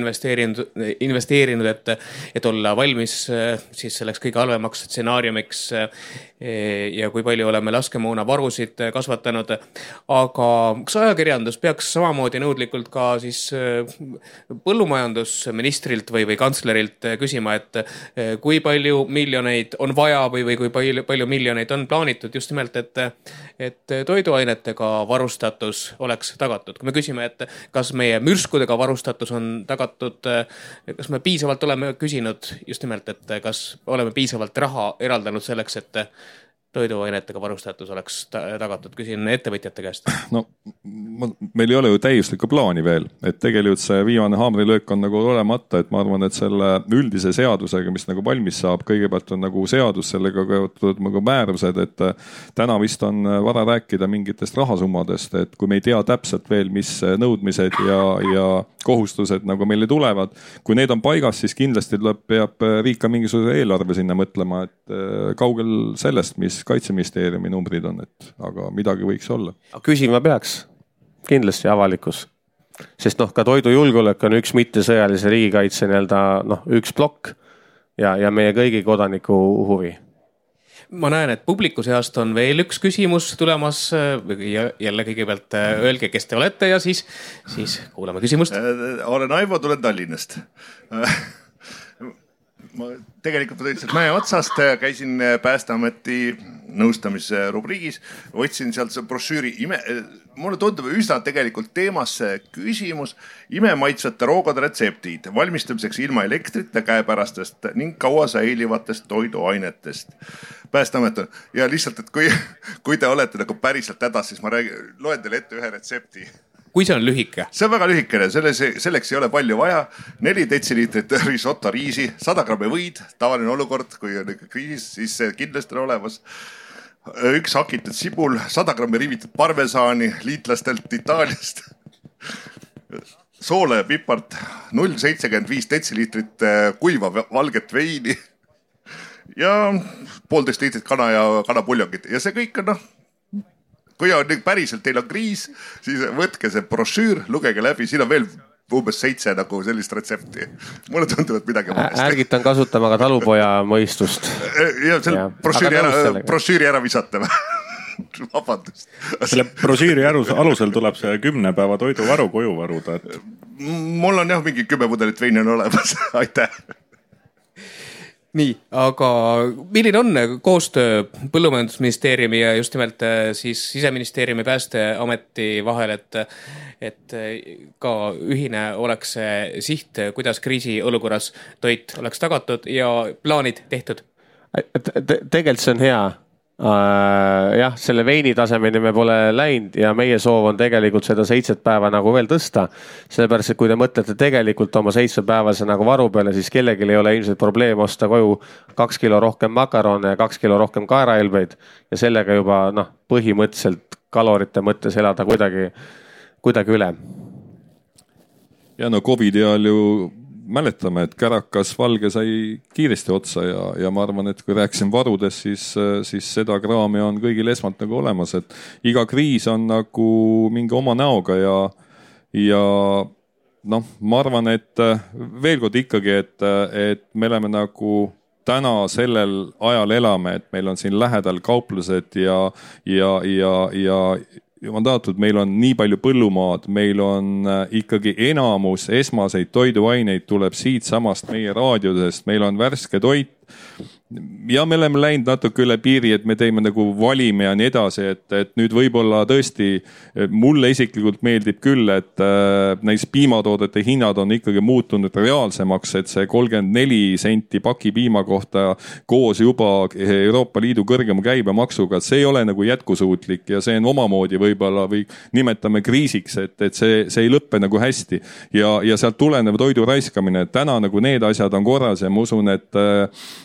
investeerinud, et olla valmis siis selleks kõige halvemaks stsenaariumiks ja kui palju oleme laskemoona aastakümnetena varusid kasvatanud. Aga kas ajakirjandus peaks samamoodi nõudlikult ka siis põllumajandusministrilt või kantslerilt küsima, et kui palju miljoneid on vaja või kui palju miljoneid on plaanitud just nimelt, et toiduainetega varustatus oleks tagatud. Kui me küsime, et kas meie mürskudega varustatus on tagatud, kas me piisavalt oleme küsinud just nimelt, et kas oleme piisavalt raha eraldanud selleks, et toiduainetega varustatus oleks tagatud, küsin ettevõtjate käest. No meil ei ole ju täiuslikku plaani veel, et tegelikult see viimane haamrilöök on nagu olemata, et ma arvan, et selle üldise seadusega, mis nagu valmis saab, kõigepealt on nagu seadus, sellega kaotud nagu määrused, et täna vist on vara rääkida mingitest rahasummadest, et kui me ei tea täpselt veel, mis nõudmised ja kohustused nagu meile tulevad, kui need on paigas, siis kindlasti peab riik ka mingisuguse eelarve sinna mõtlema, et kaugel sellest, mis Kaitseministeeriumi numbrid on, aga midagi võiks olla. Küsima peaks kindlasti avalikkus, sest ka toidujulgeolek on üks mittesõjalise riigikaitse üks plokk ja meie kõigi kodaniku huvi. Ma näen, et publiku seast on veel üks küsimus tulemas. Jälle kõigepealt öelge, kes te olete ja siis kuulame küsimust. Olen Aivo, tulen Tallinnast. Ma tegelikult tõitselt mäe otsast, käisin Päästeameti nõustamise rubriigis, võtsin sealt see brošüüri. Mulle tundub üsna tegelikult teemasse küsimus imemaitsvate roogade retseptid valmistamiseks ilma elektrita käepärastest ning kaua säilivatest toiduainetest. Päästeamet on. Ja lihtsalt, et kui te olete nagu päriselt hädas, siis ma loen teile ette ühe retsepti. Kui see on lühike? See on väga lühikene, selleks ei ole palju vaja. 4 detsiliitrit risotto riisi, 100 grammi võid, tavaline olukord, kui on kriisis, siis see kindlasti on olemas. 1 hakitud sibul, 100 grammi rivitud parmesaani liitlastelt Itaaliast. Soola ja pipart, 0,75 detsiliitrit kuiva valget veini ja 1,5 liitrit kana ja kanapuljongit. Ja see kõik on kui on päriselt teil on kriis, siis võtke see brošüür, lugege läbi, siin on veel umbes 7 nagu sellist retsepti. Mulle tundub, et midagi valesti. Ärgitan kasutama ka talupoja mõistust. Ja selle brošüüri ära visata. Vabandust. Selle brošüüri alusel tuleb see 10 päeva toiduvaru koju varuda. Mul on mingi 10 mudelit veini on olemas. Aitäh. Nii, aga milline on koostöö Põllumajandusministeeriumi ja just nimelt siis Siseministeeriumi Päästeameti vahel, et ka ühine oleks see siht, kuidas kriisiolukorras toit oleks tagatud ja plaanid tehtud? Tegelikult see on hea. Jah, selle veini tasemeni me pole läinud ja meie soov on tegelikult seda 7 päeva nagu veel tõsta. Sellepärast, et kui te mõtlete tegelikult oma 7 päevase nagu varu peale, siis kellelgi ei ole ilmselt probleem osta koju 2 kilo rohkem makarone ja 2 kilo rohkem kaerailbeid ja sellega juba põhimõtteliselt kalorite mõttes elada kuidagi üle. Ja COVID ajal ju mäletame, et kärakas valge sai kiiresti otsa ja ma arvan, et kui rääksin varudest, siis seda kraami on kõigil esmalt nagu olemas, et iga kriis on nagu mingi oma näoga ja ma arvan, et veel kord ikkagi, et me oleme nagu täna sellel ajal elame, et meil on siin lähedal kauplused ja mandaatult, meil on nii palju põllumaad, meil on ikkagi enamus esmaseid toiduaineid tuleb siit samast meie raadiosest, meil on värske toit ja me oleme läinud natuke üle piiri, et me teeme nagu valime ja nii edasi, et nüüd võib-olla tõesti mulle isiklikult meeldib küll, et näis piimatoodete hinnad on ikkagi muutunud reaalsemaks, et see 34 senti paki piima kohta koos juba Euroopa Liidu kõrgema käibemaksuga, see ei ole nagu jätkusuutlik ja see on omamoodi võib-olla või nimetame kriisiks, et see ei lõppe nagu hästi ja sealt tulenev toidu raiskamine, et täna nagu need asjad on korras ja ma usun, et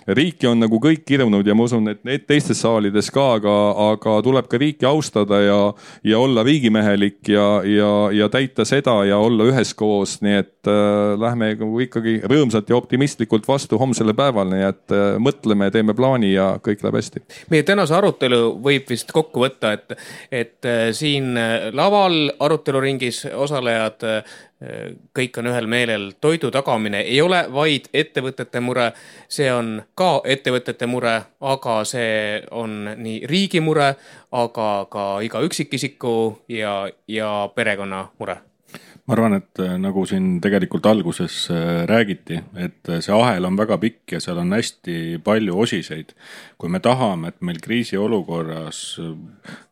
riiki on nagu kõik kirunud ja ma usun, et need teistes saalides ka, aga tuleb ka riiki austada ja olla riigimehelik ja täita seda ja olla üheskoos, nii et lähme ikkagi rõõmsalt ja optimistlikult vastu homsele päeval, nii et mõtleme, teeme plaani ja kõik läheb hästi. Meie tänase arutelu võib vist kokku võtta, et siin laval aruteluringis osalejad kõik on ühel meelel, toidu tagamine ei ole vaid ettevõtete mure, see on ka ettevõtete mure, aga see on nii riigi mure, aga ka iga üksikisiku ja perekonna mure. Ma arvan, et nagu siin tegelikult alguses räägiti, et see ahel on väga pikk ja seal on hästi palju osiseid. Kui me tahame, et meil kriisi olukorras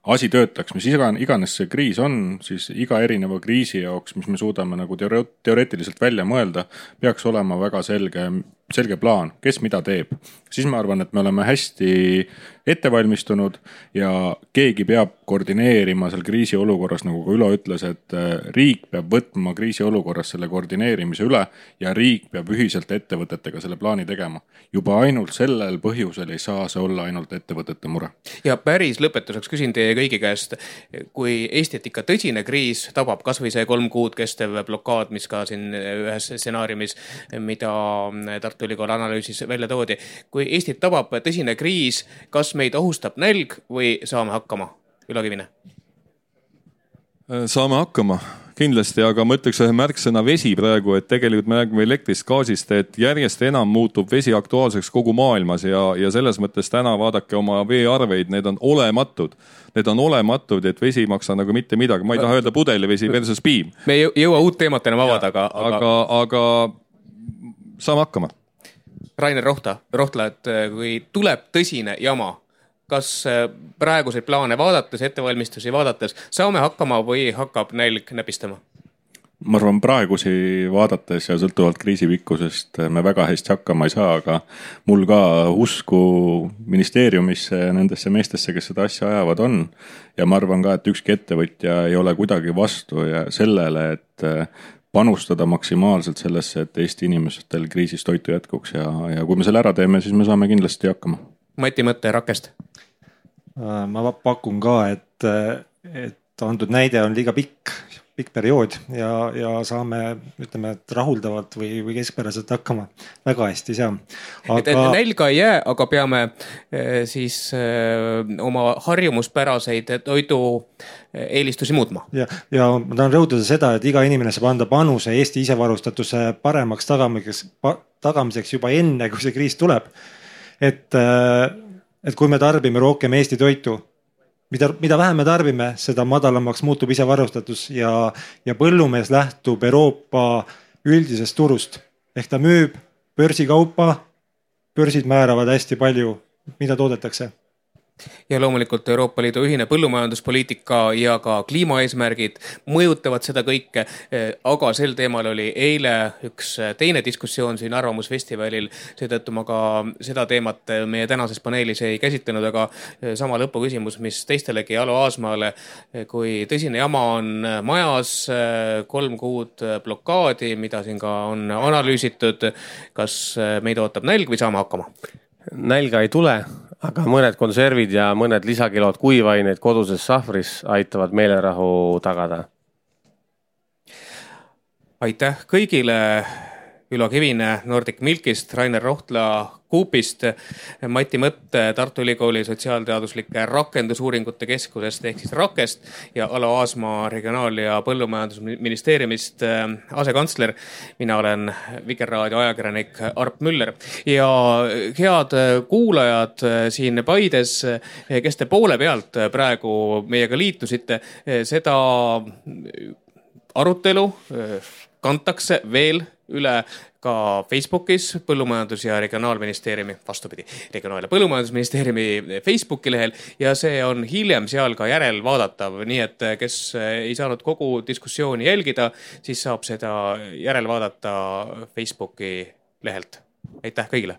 asi töötaks, mis iganes see kriis on, siis iga erineva kriisi jaoks, mis me suudame nagu teoreetiliselt välja mõelda, peaks olema väga selge plaan, kes mida teeb. Siis ma arvan, et me oleme hästi ettevalmistunud ja keegi peab koordineerima seal kriisi olukorras, nagu ka Ülo ütles, et riik peab võtma kriisi olukorras selle koordineerimise üle ja riik peab ühiselt ettevõtetega selle plaani tegema. Juba ainult sellel põhjusel ei saa see olla ainult ettevõtete mure. Ja päris lõpetuseks küsin teie kõigi käest, kui Eestit ikka tõsine kriis tabab, kas või see 3 kuud kestev blokaad, mis ka siin ühes stsenaariumis, mida Tartu Ülikool analüüsis välja toodi. Kui Eestit tabab tõsine kriis, kas meid ohustab nälg või saame hakkama? Ülo Kivine. Saame hakkama kindlasti, aga ma ütleks ühe märksõna vesi praegu, et tegelikult me räägime elektrist, gaasist, et järjest enam muutub vesi aktuaalseks kogu maailmas ja selles mõttes täna vaadake oma veearveid, need on olematud. Need on olematud, et vesi maksa nagu mitte midagi. Ma ei taha öelda pudelivesi versus piim. Me ei jõua uut teemat enam avada, aga saame hakkama. Rainer Rohtla, et kui tuleb tõsine jama, kas praeguseid plaane vaadates, ettevalmistusi vaadates saame hakkama või hakkab nälg näpistama? Ma arvan, praegusi vaadates ja sõltuvalt kriisi pikkusest me väga hästi hakkama ei saa, aga mul ka usku ministeeriumisse ja nendesse meestesse, kes seda asja ajavad on. Ja ma arvan ka, et ükski ettevõtja ei ole kuidagi vastu ja sellele, et panustada maksimaalselt sellesse, et Eesti inimestel kriisis toitu jätkuks ja kui me selle ära teeme, siis me saame kindlasti hakkama. Mati mõtte Rakest. Ma pakun ka, et antud näide on liiga pikk periood ja saame, ütleme, rahuldavalt või keskpäraselt hakkama. Väga hästi saa. Et nälga ei jää, aga peame siis oma harjumuspäraseid toidu eelistusi muutma. Ja ma tahan rõhutada seda, et iga inimene saab anda panuse Eesti isevarustatuse paremaks tagamiseks juba enne, kui see kriis tuleb. Et kui me tarbime rohkem Eesti toitu, mida vähem me tarbime, seda madalamaks muutub isevarustatus ja põllumees lähtub Euroopa üldisest turust. Ehk ta müüb börsikaupa, börsid määravad hästi palju, mida toodetakse. Ja loomulikult Euroopa Liidu ühine põllumajanduspoliitika ja ka kliimaeesmärgid mõjutavad seda kõike, aga sel teemal oli eile üks teine diskussioon siin Arvamusfestivalil, seetõttu ma ka seda teemat meie tänases paneelis ei käsitlenud, aga sama lõpuküsimus, mis teistelegi Alo Aasmaale, kui tõsine jama on majas, 3 kuud blokaadi, mida siin ka on analüüsitud, kas meid ootab nälg või saame hakkama? Nälga ei tule, aga mõned konservid ja mõned lisakilod kuivaineid koduses sahvris aitavad meelerahu tagada. Aitäh kõigile. Ülo Kivine Nordic Milkist, Rainer Rohtla Coopist, Mati Mõtt Tartu Ülikooli sotsiaalteaduslike rakendusuuringute keskusest ehk siis Rakest ja Alo Aasmaa Regionaal- ja Põllumajandusministeeriumist asekantsler. Mina olen Vikerraadio ajakirjanik Arp Müller ja head kuulajad siin Paides, kes te poole pealt praegu meiega liitusite, seda arutelu kantakse veel üle ka Facebookis Põllumajandus- ja Regionaalministeeriumi, vastupidi, Regionaal- ja Põllumajandusministeeriumi Facebooki lehel ja see on hiljem seal ka järelvaadatav, nii et kes ei saanud kogu diskussiooni jälgida, siis saab seda järelvaadata Facebooki lehelt. Aitäh kõigile!